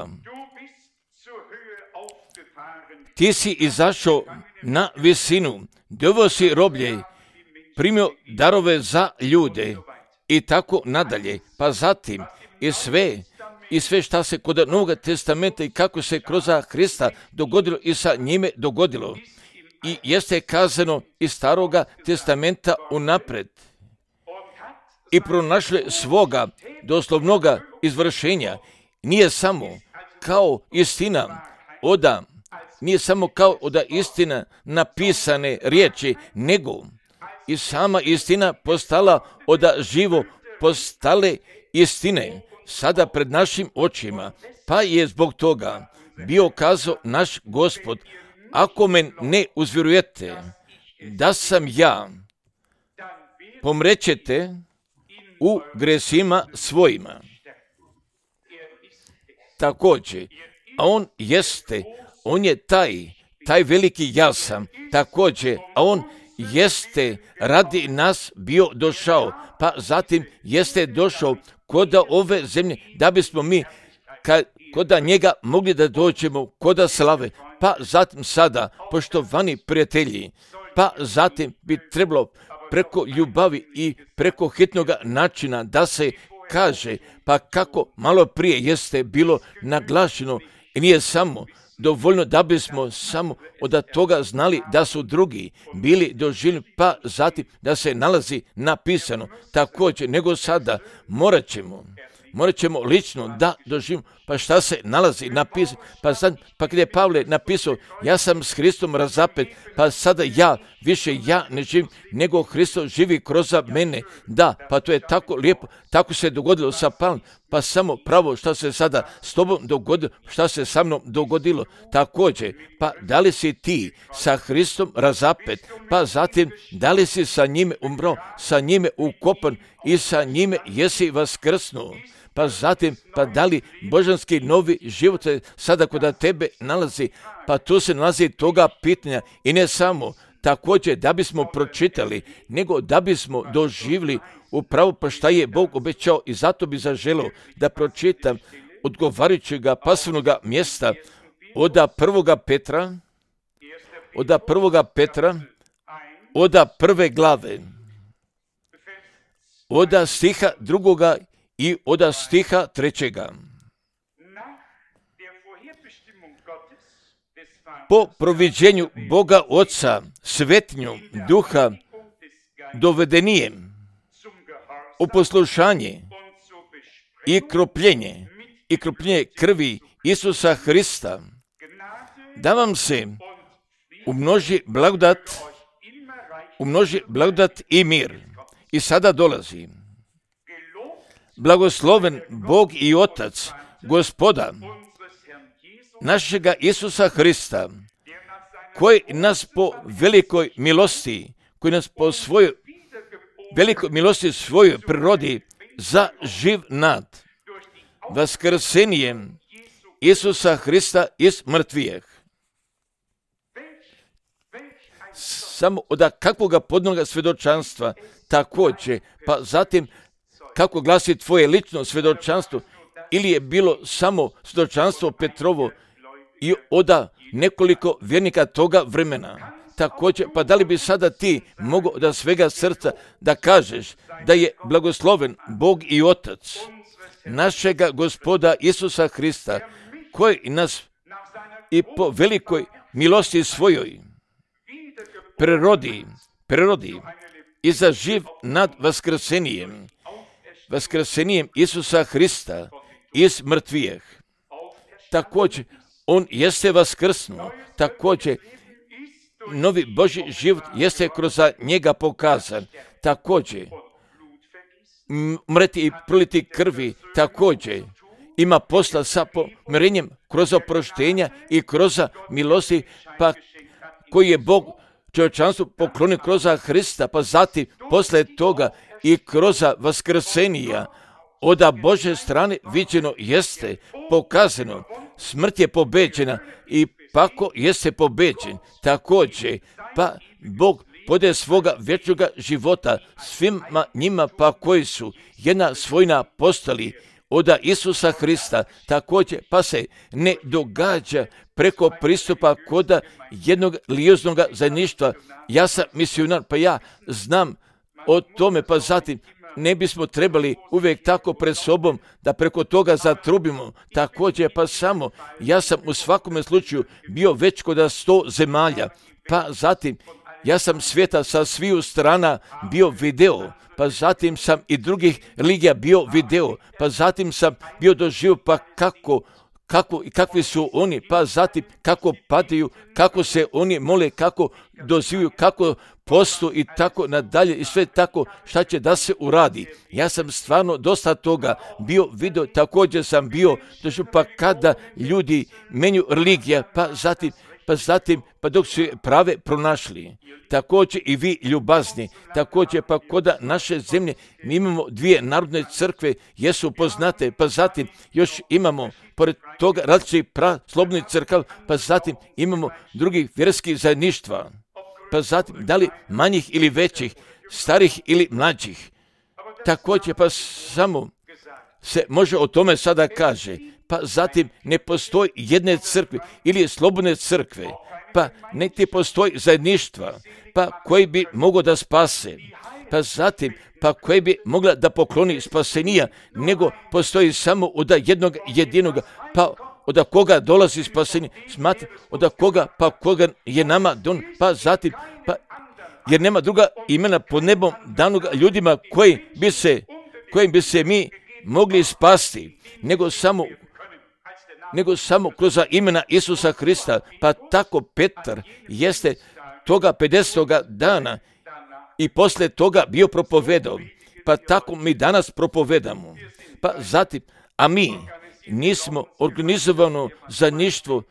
Ti si izašao na visinu, doveo si roblje, primio darove za ljude i tako nadalje. Pa zatim i sve, i sve šta se kod Novog testamenta i kako se kroz Hrista dogodilo i sa njime dogodilo. I jeste kazano iz Staroga testamenta unapred. I pronašli svoga doslovnoga izvršenja. Nije samo kao istina oda, nije samo kao oda istina napisane riječi, nego i sama istina postala oda živo postale istine sada pred našim očima. Pa je zbog toga bio kazao naš Gospod, ako men ne uzvjerujete da sam ja, pomrećete u gresima svojima. Također, a on jeste, on je taj, taj veliki ja sam, također, a on jeste radi nas bio došao, pa zatim jeste došao kod ove zemlje, da bismo mi kad, kod njega mogli da dođemo kod slave. Pa zatim sada, poštovani prijatelji, pa zatim bi trebalo preko ljubavi i preko hitnog načina da se kaže, pa kako malo prije jeste bilo naglašeno i nije samo dovoljno da bismo samo od toga znali da su drugi bili doživljeni, pa zatim da se nalazi napisano također, nego sada morat ćemo, morat ćemo lično da doživimo, pa šta se nalazi napisano, pa sad, pa kada je Pavle napisao, ja sam s Hristom razapet, pa sada ja, više ja ne živim, nego Hristo živi kroz mene, da, pa to je tako lijepo, tako se dogodilo sa Pavlom, pa samo pravo što se sada s tobom dogodilo, što se sa mnom dogodilo. Također, pa da li si ti sa Hristom razapet, pa zatim da li si sa njime umro, sa njime ukopan i sa njime jesi vaskrsnuo. Pa zatim, pa da li božanski novi život se sada kod tebe nalazi, pa tu se nalazi toga pitanja i ne samo također da bismo pročitali, nego da bismo doživjeli upravo pa šta je Bog obećao i zato bi zaželio da pročitam odgovarajućeg pasivnog mjesta od prvoga Petra, od prvoga Petra, od prve glave, od stiha drugoga i od stiha trećega. Po proviđenju Boga Oca, svetinju Duha, dovedenijem u poslušanje i kropljenje, i kropljenje krvi Isusa Hrista, da vam se umnoži blagodat, umnoži blagodat i mir. I sada dolazi. Blagosloven Bog i Otac, Gospoda, našega Isusa Hrista, koji nas po velikoj milosti, koji nas po svojoj velikoj milosti svojoj prirodi za živ nad vaskrsenjem Isusa Hrista iz mrtvijeh. Samo od kakvoga podnoga svjedočanstva također, pa zatim kako glasi tvoje lično svjedočanstvo, ili je bilo samo svjedočanstvo Petrovo i oda nekoliko vjernika toga vremena. Također, pa da li bi sada ti mogao da svega srca da kažeš da je blagosloven Bog i Otac našega Gospoda Isusa Hrista, koji nas i po velikoj milosti svojoj prerodi, prerodi i za živ nad vaskrsenjem, vaskrsenjem Isusa Hrista iz mrtvijeh. Također, on jeste vaskrsnuo, također, novi Božji život jeste kroz njega pokazan, također, mreti i proliti krvi, također, ima posla sa pomirenjem kroz oproštenja i kroz milosti, pa koji je Bog čovječanstvu poklonio kroz Hrista, pa zatim posle toga i kroz vaskrsenija od Božje strane viđeno jeste pokazano, smrt je pobeđena i pako jeste pobeđen. Također, pa Bog podaje svoga vječnog života svima njima pa koji su jedna svojna postali od Isusa Hrista, također pa se ne događa preko pristupa kod jednog lijoznog zajedništva. Ja sam misionar, pa ja znam o tome, pa zatim ne bismo trebali uvijek tako pred sobom da preko toga zatrubimo. Također pa samo ja sam u svakome slučaju bio već kod sto zemalja, pa zatim ja sam svijeta sa sviju strana bio video, pa zatim sam i drugih religija bio video, pa zatim sam bio doživio pa kako, kako i kakvi su oni, pa zatim kako padaju, kako se oni mole, kako dozivaju, kako postu i tako nadalje i sve tako šta će da se uradi. Ja sam stvarno dosta toga bio video, također sam bio doživio pa kada ljudi menju religija, pa zatim pa zatim, pa dok su je prave pronašli. Također i vi ljubazni, također pa kod naše zemlje mi imamo dvije narodne crkve, jesu poznate, pa zatim još imamo, pored toga različitih slobodnih crkava, pa zatim imamo drugih vjerskih zajedništva, pa zatim da li manjih ili većih, starih ili mlađih. Također pa samo se može o tome sada kaže, pa zatim ne postoji jedne crkve ili slobodne crkve, pa ne ti postoji zajedništva, pa koji bi mogao da spase, pa zatim pa koji bi mogla da pokloni spasenija, nego postoji samo od jednog jedinog, pa od koga dolazi spasenje, smatra, od koga, pa koga je nama don, pa zatim, pa jer nema druga imena pod nebom danog ljudima koji bi se, kojim bi se mi mogli spasti, nego samo nego samo kroz imena Isusa Hrista, pa tako Petar jeste toga pedesetoga dana i posle toga bio propovedao, pa tako mi danas propovedamo. Pa zatim, a mi nismo organizovano zajedništvo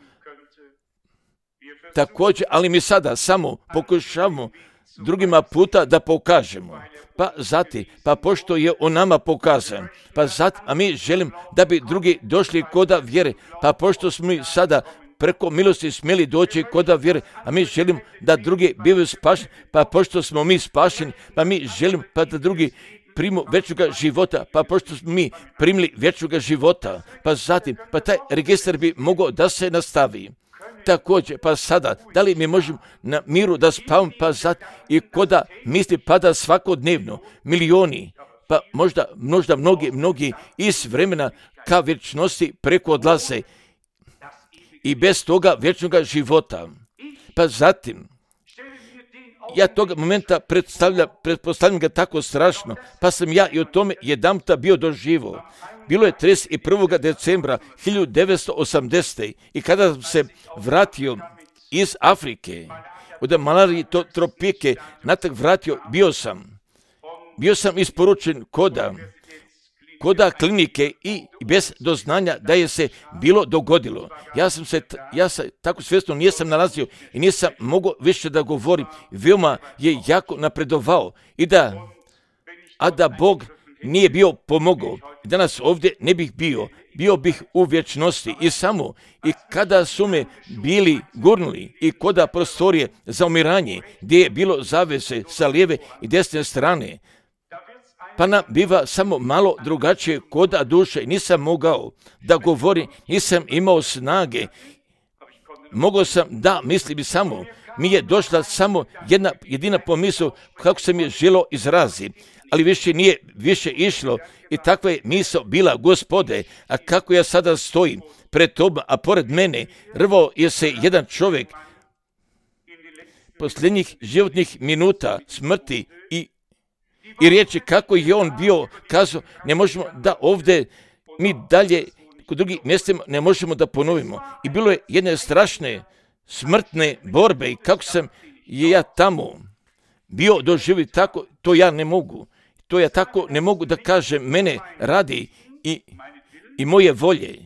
također, ali mi sada samo pokušavamo drugima puta da pokažemo. Pa zatim, pa pošto je on nama pokazan, pa zatim, a mi želim da bi drugi došli koda vjere, pa pošto smo mi sada preko milosti smjeli doći koda vjere, a mi želim da drugi bivaju spašeni, pa pošto smo mi spašeni, pa mi želim pa da drugi primu vječnoga života, pa pošto smo mi primili vječnoga života, pa zatim, pa taj registar bi mogao da se nastavi. Također, pa sada, da li mi možemo na miru da spavamo, pa zatim, i koda misli pada svakodnevno, milioni, pa možda, možda mnogi, mnogi iz vremena ka vječnosti preko odlaze i bez toga vječnoga života. Pa zatim, ja toga momenta predstavljam, pretpostavljam ga tako strašno, pa sam ja i o tome jedanputa bio doživo. Bilo je trideset prvog decembra hiljadu devetsto osamdesete. i kada sam se vratio iz Afrike, od malarije tropike, natak vratio, bio sam, bio sam isporučen koda, koda klinike i bez doznanja da je se bilo dogodilo. Ja sam se, ja sam tako svjesno nisam nalazio i nisam mogao više da govorim. Veoma je jako napredovao i da, a da Bog nije bio pomogao, danas ovdje ne bih bio, bio bih u vječnosti i samo i kada su me bili gurnuli i koda prostorije za umiranje, gdje je bilo zavese sa lijeve i desne strane, pa nam biva samo malo drugačije koda duše. Nisam mogao da govorim, nisam imao snage. Mogao sam da mislim samo, mi je došla samo jedna jedina pomisao kako sam je želio izraziti, ali više nije više išlo i takva je misao bila, Gospode, a kako ja sada stojim pred tobom, a pored mene rvao je se jedan čovjek posljednjih životnih minuta smrti i I riječi kako je on bio kazao, ne možemo da ovdje mi dalje kod drugih mjestima ne možemo da ponovimo. I bilo je jedne strašne smrtne borbe i kako sam je ja tamo bio doživio tako, to ja ne mogu. To ja tako ne mogu da kažem, mene radi i, i moje volje.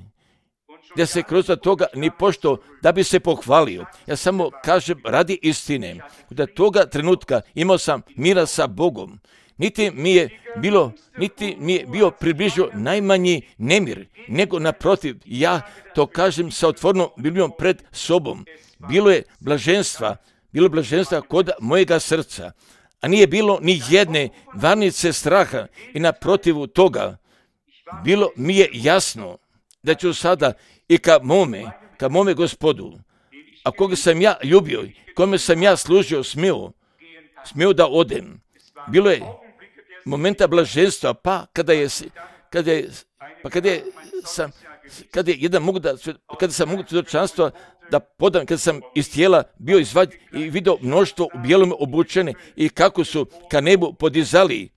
Da se kroz toga ni pošto da bi se pohvalio. Ja samo kažem radi istine. Da toga trenutka imao sam mira sa Bogom. Niti mi je bilo, niti mi je bio približio najmanji nemir, nego naprotiv, ja to kažem sa otvorenom Biblijom pred sobom. Bilo je blaženstva, bilo je blaženstva kod mojega srca, a nije bilo ni jedne varnice straha i naprotivu toga. Bilo mi je jasno da ću sada i ka mome, ka mome Gospodu, a koga sam ja ljubio, kome sam ja služio, smio, smio da odem. Bilo je momenta blaženstva, pa kada je, kada je, pa kada je sam, kada je jedan mogu da, kada sam mogu svjedočanstva da podam, kada sam iz tijela bio izvađen i vidio mnoštvo u bijelom obučene i kako su ka nebu podizali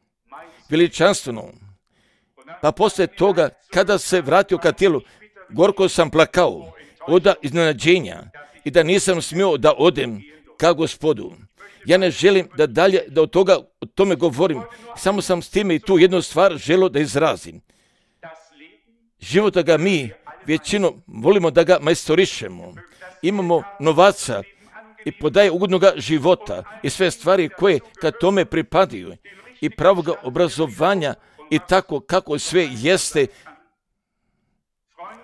veličanstveno. Pa poslije toga, kada se vratio ka tijelu, gorko sam plakao od iznenađenja i da nisam smio da odem ka Gospodu. Ja ne želim da dalje da od toga o tome govorim, samo sam s time i tu jednu stvar želio da izrazim. Života ga mi većinom volimo da ga majstorišemo. Imamo novaca i podaje ugodnoga života i sve stvari koje kad tome pripadaju i pravoga obrazovanja i tako kako sve jeste,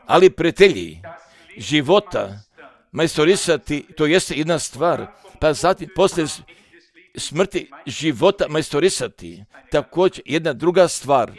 ali prijatelji života majstorisati, to jeste jedna stvar, pa zatim poslije smrti života majstorisati, također jedna druga stvar.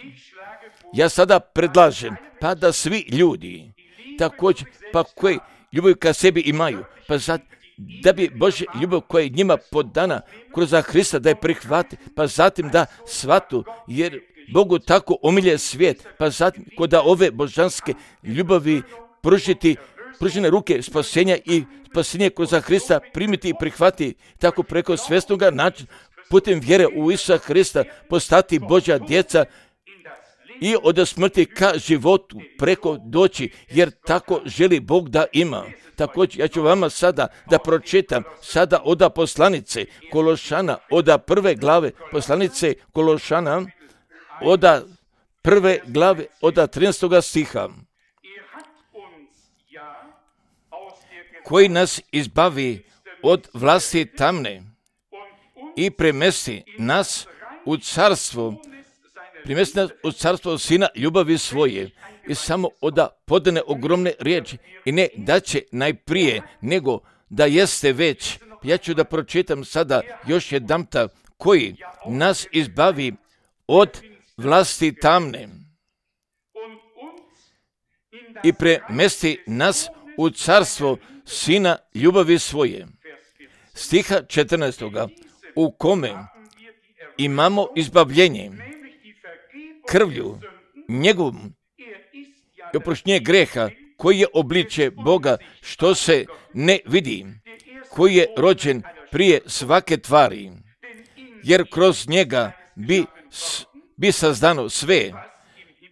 Ja sada predlažem, pa da svi ljudi, također, pa koji ljubav ka sebi imaju, pa zatim, da bi Božja ljubav koja je njima podana kroz Hrista da je prihvati, pa zatim da shvatu, jer Bogu tako omilje svijet, pa zatim kod ove božanske ljubavi pružiti pružene ruke spasenja i spasenje kroz Hrista primiti i prihvati, tako preko svjesnoga načina putem vjere u Isusa Hrista postati Božja djeca i od smrti ka životu preko doći, jer tako želi Bog da ima. Također, ja ću vama sada da pročitam sada oda poslanice Kološana, oda prve glave poslanice Kološana, od prve glave, od trinaestog stiha, koji nas izbavi od vlasti tamne i premesti nas u carstvo, primesti nas u carstvo Sina ljubavi svoje. I samo oda podane ogromne riječi i ne da će najprije, nego da jeste već. Ja ću da pročitam sada još jedanputa, koji nas izbavi od vlasti tamne i premesti nas u carstvo Sina ljubavi svoje. Stiha četrnaestog. U kome imamo izbavljenje krvlju njegovom i oproštenje greha, koji je obličje Boga što se ne vidi, koji je rođen prije svake tvari, jer kroz njega bi, bi sazdano sve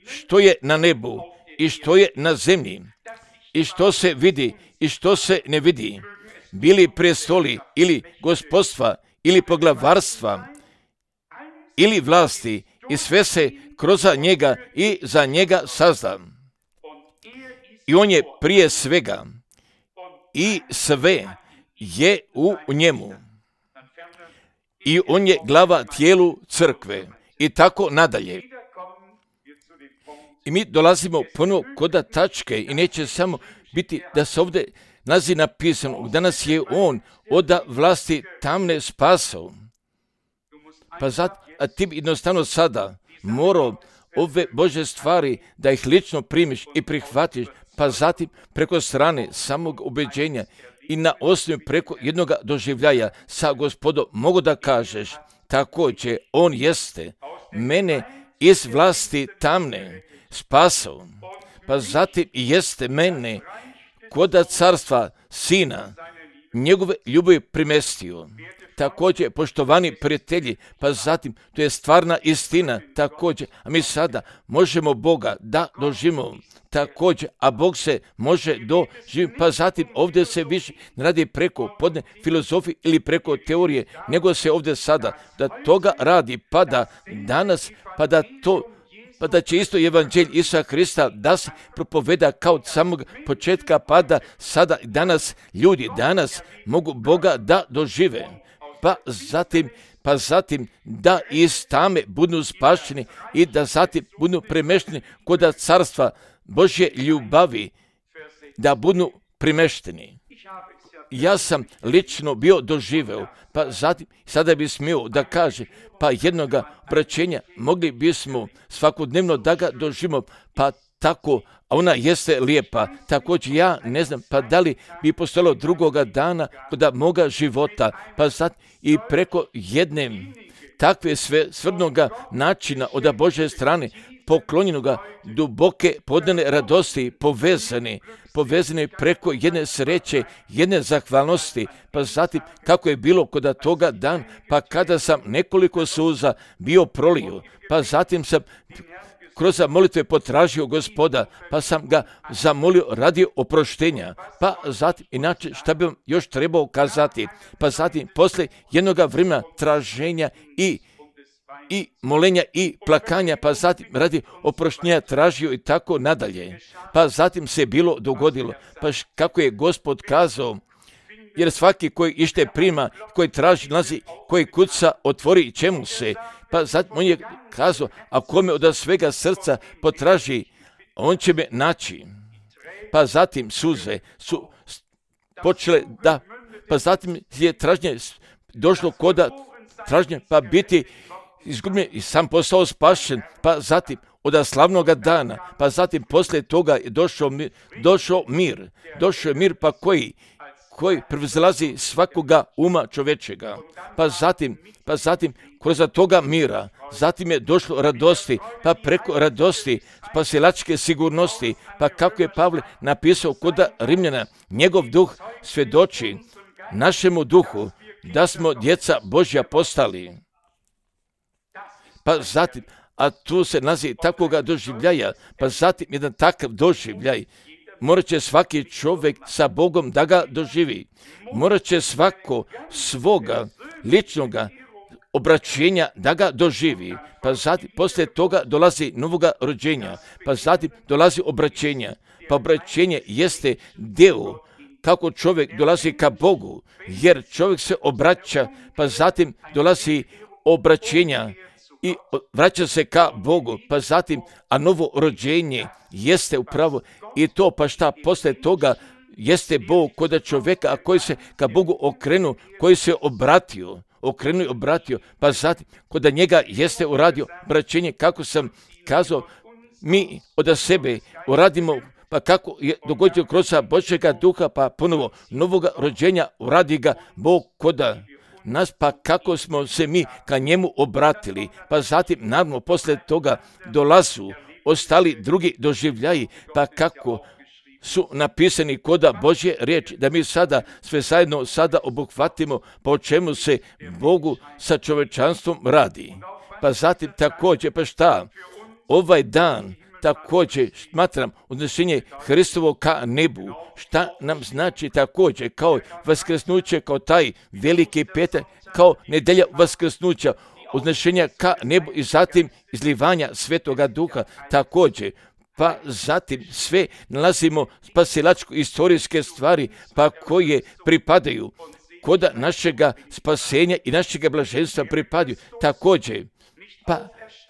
što je na nebu i što je na zemlji i što se vidi i što se ne vidi, bili prestoli ili gospodstva ili poglavarstva ili vlasti, i sve se kroz njega i za njega sazda. I on je prije svega i sve je u njemu. I on je glava tijelu crkve i tako nadalje. I mi dolazimo ponovo kod tačke i neće samo biti da se ovdje nalazi napisano, danas je on od vlasti tamne spasao. Pa zato, a ti jednostavno sada morao ove Božje stvari da ih lično primiš i prihvatiš, pa zatim preko strane samog ubeđenja i na osnovi preko jednog doživljaja sa Gospodom mogu da kažeš, također on jeste mene iz vlasti tamne spasao, pa zatim jeste mene kod carstva Sina njegove ljubavi primestio. Također, poštovani prijatelji, pa zatim, to je stvarna istina, također, a mi sada možemo Boga da doživimo, također, a Bog se može doživiti, pa zatim ovdje se više ne radi preko podne filozofije ili preko teorije, nego se ovdje sada da toga radi, pa da danas, pa da to pa da će isto evanđelj Isusa Krista da se propoveda kao od samog početka, pa da sada danas ljudi danas mogu Boga da dožive. Pa zatim, pa zatim da iz tame budu spašeni i da zatim budu premešteni kod carstva Božje ljubavi, da budu premešteni. Ja sam lično bio doživeo, pa zatim sada bi smio da kaže, pa jednoga obraćenja mogli bismo svakodnevno da ga doživimo, pa tako, a ona jeste lijepa. Također ja ne znam, pa da li bi postojalo drugoga dana kod moga života, pa sad i preko jedne takve sve svrdnoga načina od Božje strane, poklonjenoga duboke podane radosti, povezane, povezane preko jedne sreće, jedne zahvalnosti, pa zatim kako je bilo kod toga dan, pa kada sam nekoliko suza bio prolio, pa zatim sam kroz molitve potražio Gospoda, pa sam ga zamolio radi oproštenja, pa zatim, inače šta bi vam još trebao kazati, pa zatim posle jednoga vremena traženja i i molenja i plakanja, pa zatim radi oproštenja tražio i tako nadalje. Pa zatim se bilo dogodilo, pa kako je Gospod kazao, jer svaki koji ište prima, koji traži, nalazi, koji kuca, otvori čemu se. Pa zatim on je kazao, a kome od svega srca potraži, on će me naći. Pa zatim suze su počele da, pa zatim je tražnje došlo koda tražnje, pa biti izgubljen i sam postao spašen, pa zatim od slavnoga dana, pa zatim poslije toga je došao mir, došao mir, došao je mir pa koji, koji prevzlazi svakoga uma čovečega, pa zatim, pa zatim kroz toga mira, zatim je došlo radosti, pa preko radosti, spasilačke sigurnosti, pa kako je Pavle napisao kod Rimljana, njegov duh svjedoči našemu duhu da smo djeca Božja postali. Pa zatim, a tu se naziv takvoga doživljaja, pa zatim jedan takav doživljaj, morat će svaki čovjek sa Bogom da ga doživi. Morat će svako svoga ličnoga obraćenja da ga doživi, pa zatim poslije toga dolazi novoga rođenja, pa zatim dolazi obraćenja, pa obraćenje jeste deo kako čovjek dolazi ka Bogu, jer čovjek se obraća, pa zatim dolazi obraćenja i vraća se ka Bogu, pa zatim, a novo rođenje jeste upravo i to, pa šta poslije toga jeste Bog kod čovjeka, a koji se ka Bogu okrenu, koji se obratio, okrenuo i obratio, pa zatim kod njega jeste uradio obraćenje, kako sam kazao, mi od sebe uradimo, pa kako je dogodio kroz Božjega duha, pa ponovo novoga rođenja uradi ga Bog koda nas, pa kako smo se mi ka njemu obratili, pa zatim naravno poslije toga dolazu ostali drugi doživljaji, pa kako su napisani koda Božje riječi, da mi sada sve zajedno sada obuhvatimo po čemu se Bogu sa čovečanstvom radi. Pa zatim također, pa šta, ovaj dan također smatram odnošenje Hristovo ka nebu, šta nam znači također kao vaskrsnuće, kao taj veliki petak, kao nedelja vaskrsnuća, odnošenja ka nebu i zatim izlivanja Svetoga Duha također. Pa zatim sve nalazimo spasilačko istorijske stvari, pa koje pripadaju koda našega spasenja i našega blaženstva pripadaju također. Pa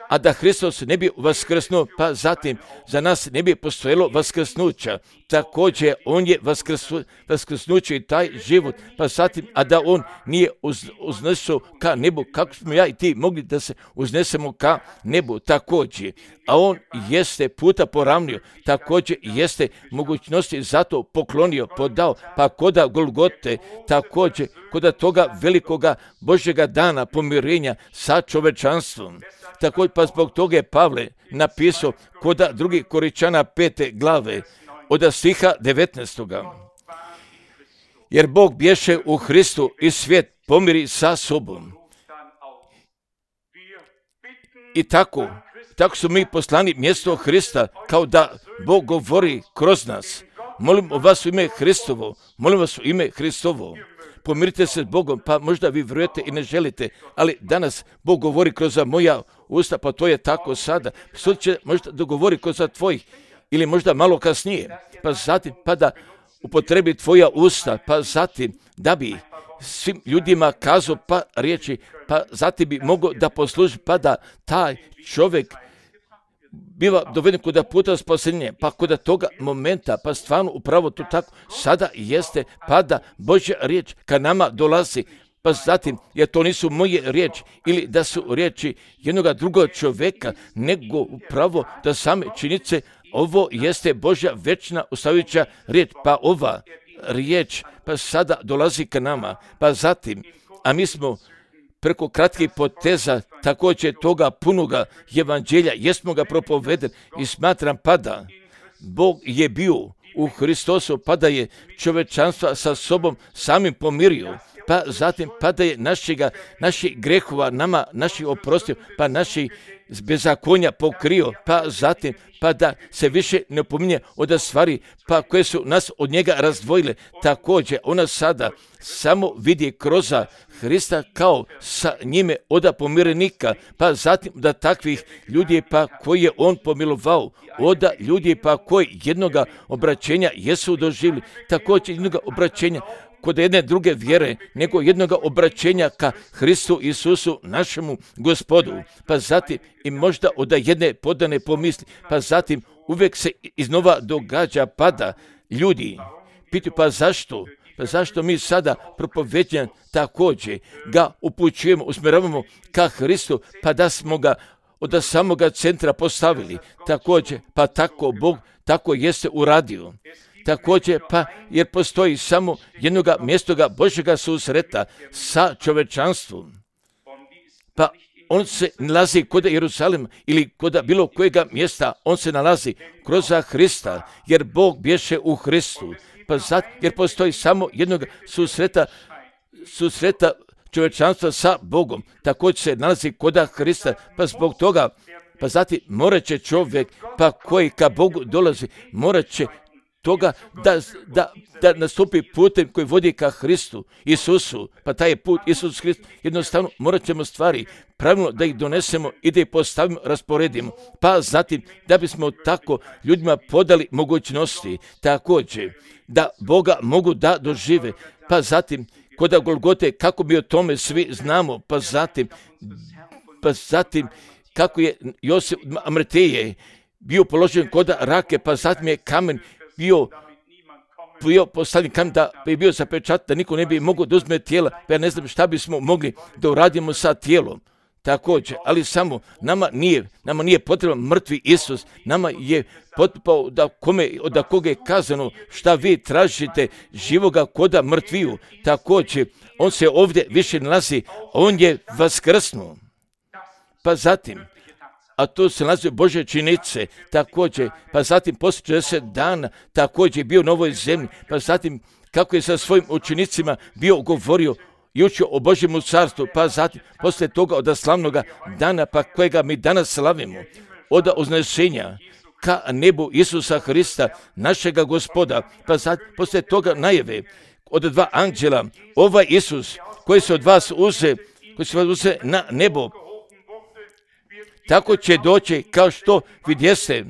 a da Hristos ne bi vaskrsnuo, pa zatim za nas ne bi postojalo vaskrsnuća. Također on je vaskrsnu, vaskrsnuće i taj život, pa zatim, a da on nije uz, uznesao ka nebu, kako smo ja i ti mogli da se uznesemo ka nebu također. A on jeste puta poravnio, također jeste mogućnosti zato poklonio, podao, pa koda Golgote, također koda toga velikoga Božjega dana pomirenja sa čovečanstvom. Također pa zbog toga je Pavle napisao koda drugi Koričana pete glave od stiha devetnaestoga. Jer Bog bješe u Hristu i svijet pomiri sa sobom. I tako, tako su mi poslani mjesto Hrista, kao da Bog govori kroz nas. Molim vas u ime Hristovo, molim vas u ime Hristovo. Pomirite se s Bogom, pa možda vi vjerujete i ne želite, ali danas Bog govori kroz moja usta, pa to je tako sada. Sud će možda dogovori kroz tvojih, ili možda malo kasnije, pa zatim pa da upotrebi tvoja usta, pa zatim da bi svim ljudima kazao pa riječi, pa zatim bi mogao da posluži, pa da taj čovjek biva doveden kod puta spasenja, pa kod toga momenta, pa stvarno upravo to tako sada jeste, pa da Božja riječ ka nama dolazi, pa zatim, jer to nisu moje riječi ili da su riječi jednog drugog čovjeka, nego upravo da same činjenice, ovo jeste Božja večna ostavljajuća riječ, pa ova riječ pa sada dolazi ka nama, pa zatim, a mi smo preko kratkih poteza također toga punoga evanđelja, jesmo ga propovedeni i smatram pa da Bog je bio u Hristosu, pa da je čovečanstva sa sobom samim pomirio, pa zatim pa da je našega, naših grehova nama, naših oprostio, pa naših bezakonja pokrio, pa zatim pa da se više ne opominje od stvari pa koje su nas od njega razdvojile. Također ona sada samo vidi kroz Hrista kao sa njime od pomirenika, pa zatim da takvih ljudi pa koji je on pomilovao, od ljudi pa koji jednoga obraćenja jesu doživjeli, također jednoga obraćenja kod jedne druge vjere, nego jednoga obraćenja ka Hristu Isusu, našemu Gospodu, pa zatim i možda od jedne podane pomisli, pa zatim uvijek se iznova događa pada ljudi. Pitaju pa zašto? Pa zašto mi sada propovedjan također ga upućujemo, usmjeravamo ka Hristu, pa da smo ga od samoga centra postavili. Također, pa tako Bog tako jeste uradio. Također, pa jer postoji samo jednoga mjestoga Božjega susreta sa čovečanstvom. Pa on se nalazi kod Jeruzalema ili kod bilo kojega mjesta, on se nalazi kroz Hrista, jer Bog bješe u Hristu. Pa zato, jer postoji samo jednog susreta, susreta čovečanstva sa Bogom, također se nalazi kod Hrista, pa zbog toga, pa zatim morat će čovjek, pa koji ka Bogu dolazi, morat će toga da, da, da nastupi putem koji vodi ka Hristu, Isusu, pa taj je put Isus Hrist, jednostavno morat ćemo stvari pravilno da ih donesemo i da ih postavimo, rasporedimo, pa zatim da bismo tako ljudima podali mogućnosti, također da Boga mogu da dožive, pa zatim kod Golgote kako mi o tome svi znamo, pa zatim, pa zatim kako je Josip Amreteje bio položen kod rake, pa zatim je kamen bio, bio postavljen kamen da je bio zapečat, da niko ne bi mogao da uzme tijela, pa ja ne znam šta bismo mogli da uradimo sa tijelom. Također, ali samo nama nije, nama nije potreban mrtvi Isus, nama je potpao da kome, od koga je kazano šta vi tražite živoga koda mrtviju. Također, on se ovdje više nalazi, on je vaskrsnuo. Pa zatim, a to se nalazi Božje činice, također, pa zatim poslije četrdeset dana, također je bio na ovoj zemlji, pa zatim kako je sa svojim učenicima bio govorio i učio o Božjemu carstvu, pa zatim poslije toga od slavnoga dana, pa kojega mi danas slavimo, od uznešenja ka nebu Isusa Hrista, našega Gospoda, pa zatim poslije toga najave od dva anđela, ovaj Isus koji se od vas uze, koji se od vas uze na nebo, tako će doći kao što vidjeste,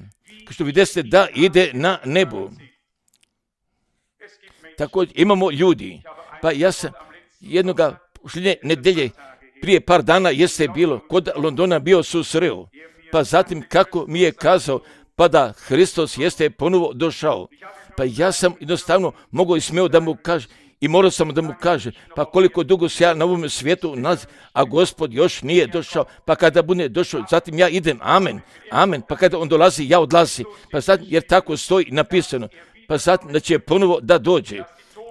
kao što vidjeste da ide na nebu. Također imamo ljudi, pa ja sam jednoga šljenje nedelje prije par dana jeste bilo kod Londona bio susreo, pa zatim kako mi je kazao, pa da Hristos jeste ponovo došao. Pa ja sam jednostavno mogao i smeo da mu kaže, i morao sam da mu kaže, pa koliko dugo se ja na ovom svijetu nalazim, a Gospod još nije došao, pa kada bude došao, zatim ja idem, amen, amen, pa kada on dolazi, ja odlazi, pa zatim, jer tako stoji napisano, pa zatim da će ponovo da dođe,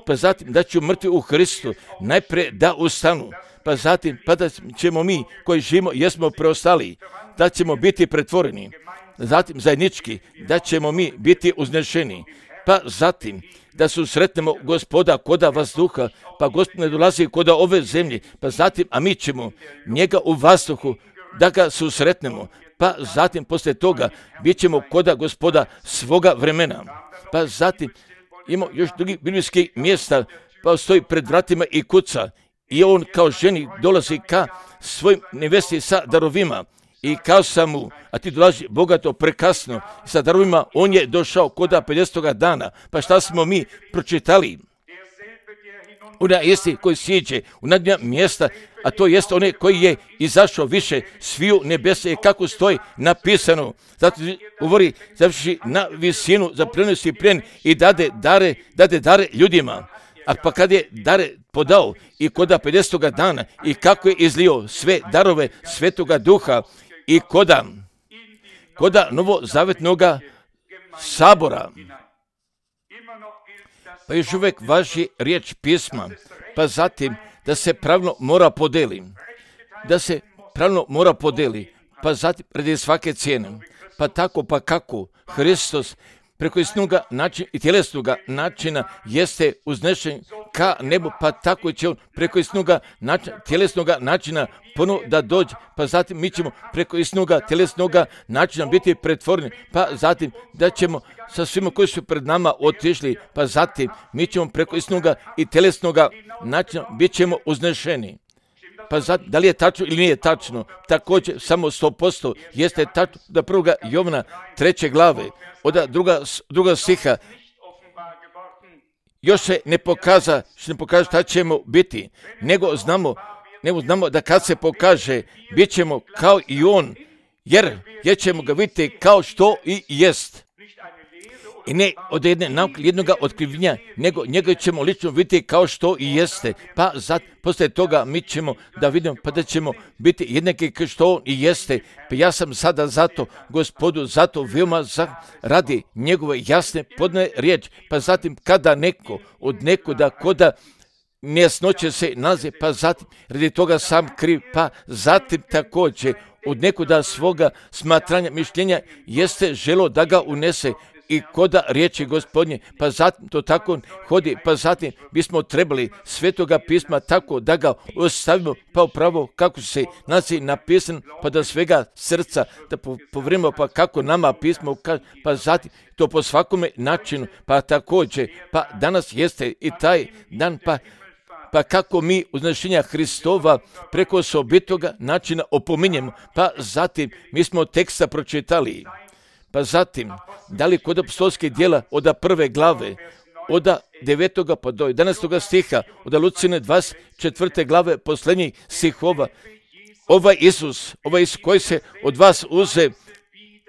pa zatim da će mrtvi u Hristu najprije da ustanu, pa zatim pa da ćemo mi koji živimo, jesmo preostali, da ćemo biti pretvoreni, zatim zajednički, da ćemo mi biti uznešeni, pa zatim da susretnemo Gospoda koda vazduha, pa Gospod ne dolazi koda ove zemlje, pa zatim, a mi ćemo njega u vazduhu da ga susretnemo, pa zatim poslije toga bit ćemo koda Gospoda svoga vremena, pa zatim imamo još drugih biblijskih mjesta, pa stoji pred vratima i kuca i on kao ženi dolazi ka svojim nevesti sa darovima i kao sam mu, a ti dolazi bogato prekasno sa darovima, on je došao koda pedesetoga dana, pa šta smo mi pročitali? Ona jeste koji sjeđe u nadnja mjesta, a to jeste onaj koji je izašao više sviju nebesa, kako stoji napisano. Zato govori, završi na visinu, za prenosi plijen i dade dare, dade dare ljudima. A pa kad je dare podao i koda pedesetoga dana i kako je izlio sve darove Svetoga Duha i koda, koda novozavetnoga sabora, pa još uvijek važi riječ pisma, pa zatim da se pravilno mora podeli, da se pravilno mora podeli, pa zatim radi svake cijene, pa tako pa kako Hristos preko istinoga načina i tjelesnoga načina jeste uznešen ka nebu, pa tako će on preko istinoga načina, tjelesnoga načina ponovo da dođe, pa zatim mi ćemo preko istinoga tjelesnoga načina biti pretvoreni, pa zatim da ćemo sa svima koji su pred nama otišli, pa zatim mi ćemo preko istinoga i tjelesnoga načina bit ćemo uznešeni. Pa zatim, da li je tačno ili nije tačno, također samo sto posto jeste tačno da prvoga Jovana treće glave, od druga, druga stiha, još se ne pokaza, što ne pokaže šta ćemo biti, nego znamo, nego znamo da kad se pokaže, bit ćemo kao i on, jer, jer ćemo ga vidjeti kao što i jest. I ne od jedne nauke, jednoga otkrivljenja, nego njega ćemo lično vidjeti kao što i jeste. Pa zat, poslije toga mi ćemo da vidimo, pa da ćemo biti jednaki kao što on i jeste. Pa ja sam sada zato, Gospodu, zato veoma za, radi njegove jasne podne riječ. Pa zatim kada neko od nekoda koda nejasnoće se nalazi, pa zatim radi toga sam kriv, pa zatim također od nekoda svoga smatranja, mišljenja jeste želo da ga unese, i koda riječi Gospodnje, pa zatim to tako hodi, pa zatim bismo trebali Svetoga pisma tako da ga ostavimo pa upravo kako se nalazi napisan, pa da svega srca da povrimo, pa kako nama pismo, pa zatim to po svakome načinu, pa također, pa danas jeste i taj dan, pa pa kako mi uznešenja Hristova preko osobitoga načina opominjemo, pa zatim mi smo teksta pročitali, pa zatim da li kod apostolskih djela od prve glave, od devetoga pa do jedanaestoga stiha, od Lucine dvadeset četvrte glave posljednjih stihova, ovaj Isus, ovaj Isus koji se od vas uze,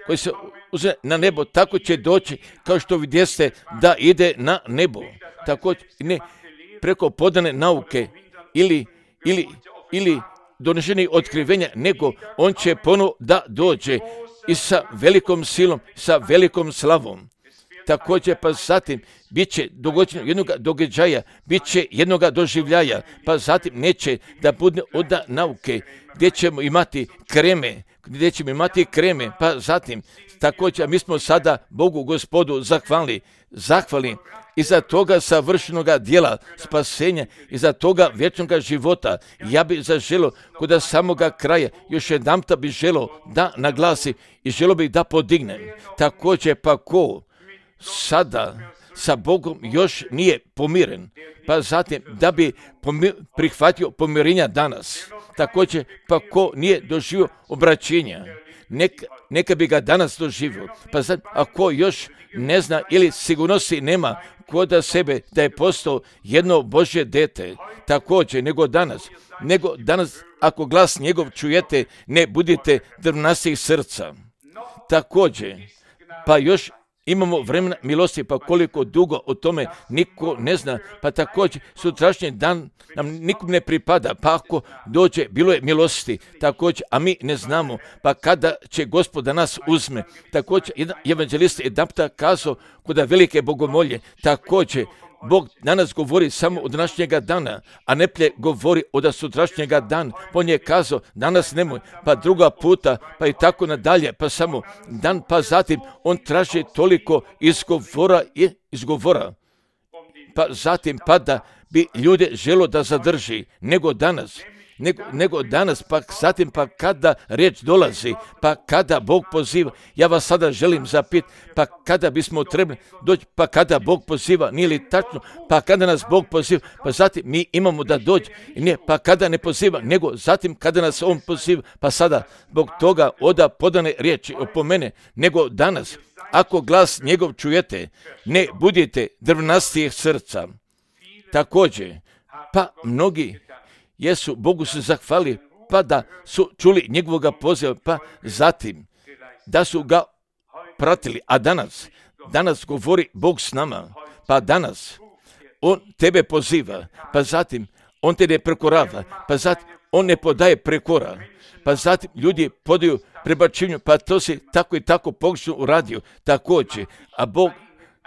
koji se uze na nebo, tako će doći kao što vidjeste da ide na nebo, tako ne preko podane nauke ili, ili, ili donešenih otkrivenja, nego on će ponovo da dođe i sa velikom silom, sa velikom slavom. Također pa zatim bit će dogođeno jednog događaja, bit će jednog doživljaja, pa zatim neće da bude od nauke, gdje ćemo imati kreme, gdje ćemo imati kreme, pa zatim također mi smo sada Bogu Gospodu zahvalni, zahvalni i za toga savršenoga dijela spasenja i za toga vječnoga života. Ja bih zaželio kod samoga kraja još jedanput bih želio da naglasi i želio bih da podignem. Također pa ko sada sa Bogom još nije pomiren, pa zatim da bi pomir, prihvatio pomirenja danas. Također pa ko nije doživio obraćenja, neka, neka bi ga danas doživio. Pa zatim ako još ne zna ili sigurnosti nema kod sebe da je postao jedno Božje dete, također nego danas, nego danas ako glas njegov čujete, ne budite drvnastih srca. Također, pa još imamo vremena milosti, pa koliko dugo o tome niko ne zna, pa također sutrašnji dan nam nikom ne pripada, pa ako dođe, bilo je milosti, također, a mi ne znamo, pa kada će Gospod da nas uzme. Također, jedan evanđelist je dapta kazao kod velike bogomolje, također, Bog danas govori samo od današnjega dana, a ne plje govori od sutrašnjega dana. On je kazao, danas nemoj, pa druga puta, pa i tako nadalje, pa samo dan, pa zatim on traži toliko izgovora i izgovora. Pa zatim pa da bi ljude želo da zadrži, nego danas. Nego, nego danas, pa zatim pa kada riječ dolazi, pa kada Bog poziva, ja vas sada želim zapit, pa kada bismo trebali doći, pa kada Bog poziva, nije li tačno, pa kada nas Bog poziva, pa zatim mi imamo da dođe, ne, pa kada ne poziva, nego zatim kada nas On poziva, pa sada zbog toga oda podane riječi opomene, nego danas, ako glas njegov čujete, ne budite drvnastijih srca. Također, pa mnogi jesu Bogu se zahvali, pa da su čuli njegovoga poziva, pa zatim da su ga pratili. A danas, danas govori Bog s nama, pa danas On tebe poziva, pa zatim On te ne prekorava, pa zatim On ne podaje prekora, pa zatim ljudi podaju prebačenju, pa to se tako i tako pogrešno uradio, također, a Bog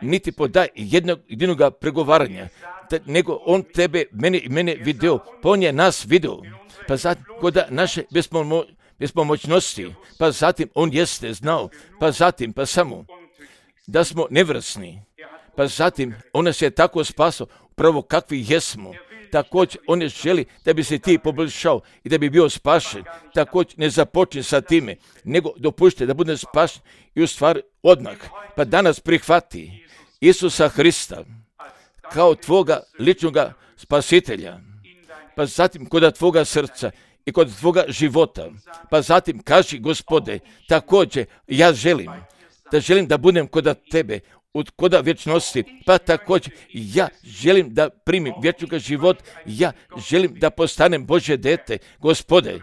niti podaje jednog jedinoga pregovaranja, nego On tebe, mene i mene video, pa On je nas video, pa zatim kod naše bespomo, bespomoćnosti, pa zatim On jeste znao, pa zatim pa samo da smo nevrsni, pa zatim On nas je tako spasao, upravo kakvi jesmo. Također On ne želi da bi se ti poboljšao i da bi bio spašen. Također ne započne sa time, nego dopušte da bude spašen i u stvari odmah. Pa danas prihvati Isusa Hrista kao tvoga ličnoga spasitelja. Pa zatim kod tvoga srca i kod tvoga života. Pa zatim kaži Gospode, također ja želim da želim da budem kod tebe, od koda vječnosti, pa također ja želim da primim vječnoga život, ja želim da postanem Božje dete. Gospode,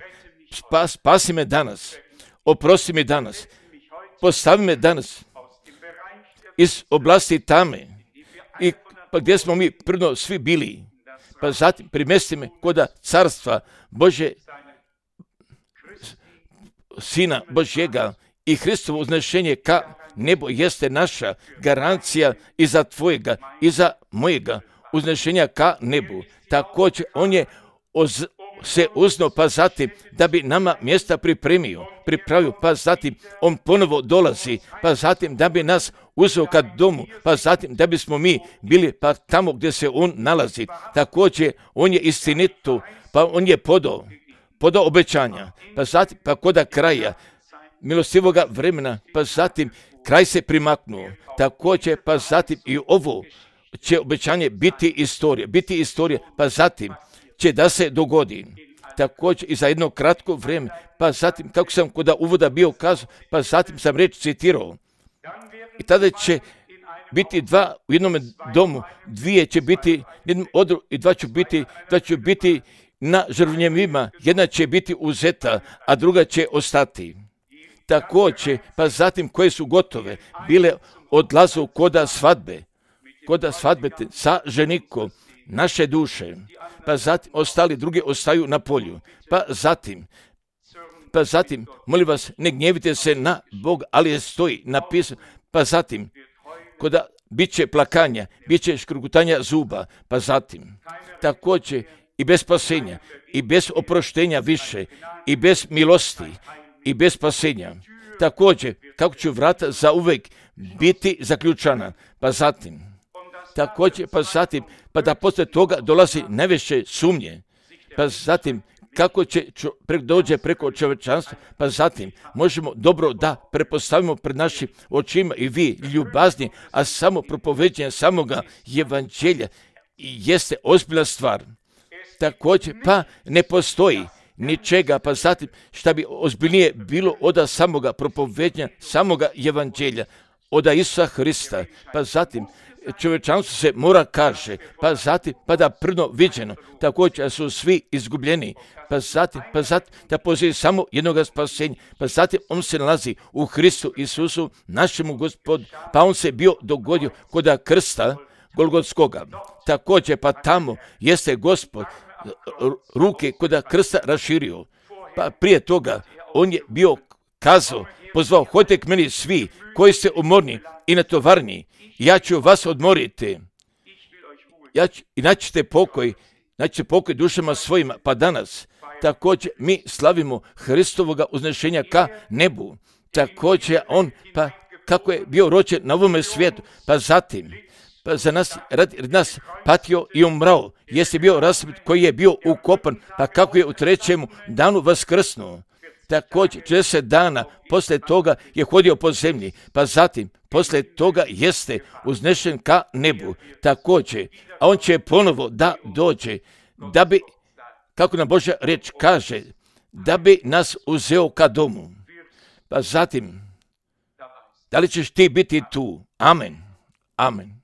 spas, spasi me danas, oprosti mi danas, postavi me danas iz oblasti tame i pa gdje smo mi prvo svi bili, pa zatim primesti me koda carstva Božje, Sina Božjega i Hristovo uznešenje ka nebo jeste naša garancija i za tvojega i za mojega uznešenja ka nebu. Također on je oz, se uznao, pa zatim da bi nama mjesta pripremio, pripravio, pa zatim on ponovo dolazi, pa zatim da bi nas uzeo ka domu, pa zatim da bismo mi bili pa tamo gdje se on nalazi. Također on je istinito, pa on je podao, podao obećanja, pa zatim pa koda kraja milostivoga vremena, pa zatim kraj se primaknuo. Također pa zatim i ovo će obećanje biti istorija, biti istorija, pa zatim će da se dogodi. Također i za jedno kratko vrijeme, pa zatim, kako sam kod uvoda bio kazao, pa zatim sam reč citirao. I tada će biti dva u jednom domu, dvije će biti jednom odru i dva će biti, dva će biti na žrtvnjevima, jedna će biti uzeta, a druga će ostati. Također, pa zatim koje su gotove, bile odlazu koda svadbe, koda svadbe sa ženikom, naše duše, pa zatim ostali drugi ostaju na polju, pa zatim, pa zatim, molim vas, ne gnjevite se na Bog, ali je stoji napisano, pa zatim, koda bit će plakanja, bit će škrgutanja zuba, pa zatim, također i bez spasenja, i bez oproštenja više, i bez milosti, i bez spasenja. Također, kako će vrata za uvijek biti zaključana, pa zatim, također, pa zatim, pa da poslije toga dolazi najveće sumnje, pa zatim, kako će čo, pre, dođe preko čovječanstva, pa zatim možemo dobro da prepostavimo pred našim očima i vi ljubazni, a samo propoveđenje samoga evanđelja jeste ozbiljna stvar. Također, pa ne postoji ničega, pa zatim šta bi ozbiljnije bilo od samoga propoveđenja samoga evanđelja, od Isusa Hrista, pa zatim čovječanstvo se mora kaže, pa zatim, pa da prvno viđeno, također su svi izgubljeni, pa zatim, pa zatim, da postoji samo jednoga spasenja, pa zatim on se nalazi u Hristu Isusu, našemu Gospodu, pa on se bio dogodio koda krsta Golgotskoga. Također, pa tamo jeste Gospod ruke koda krsta raširio, pa prije toga on je bio kazao, pozvao, hodite k meni svi koji ste umorni i natovarni, ja ću vas odmoriti. Ja ću, i naćete pokoj, naćete pokoj dušama svojima, pa danas također mi slavimo Hristovoga uznešenja ka nebu. Također on, pa kako je bio rođen na ovome svijetu, pa zatim, pa za nas, radi nas patio i umrao, jeste bio raspet koji je bio ukopan, pa kako je u trećemu danu vaskrsnuo. Također, četrdeset dana poslije toga je hodio po zemlji, pa zatim, poslije toga jeste uznešen ka nebu. Također, a on će ponovo da dođe, da bi, kako nam Božja riječ kaže, da bi nas uzeo ka domu. Pa zatim, da li ćeš ti biti tu? Amen. Amen.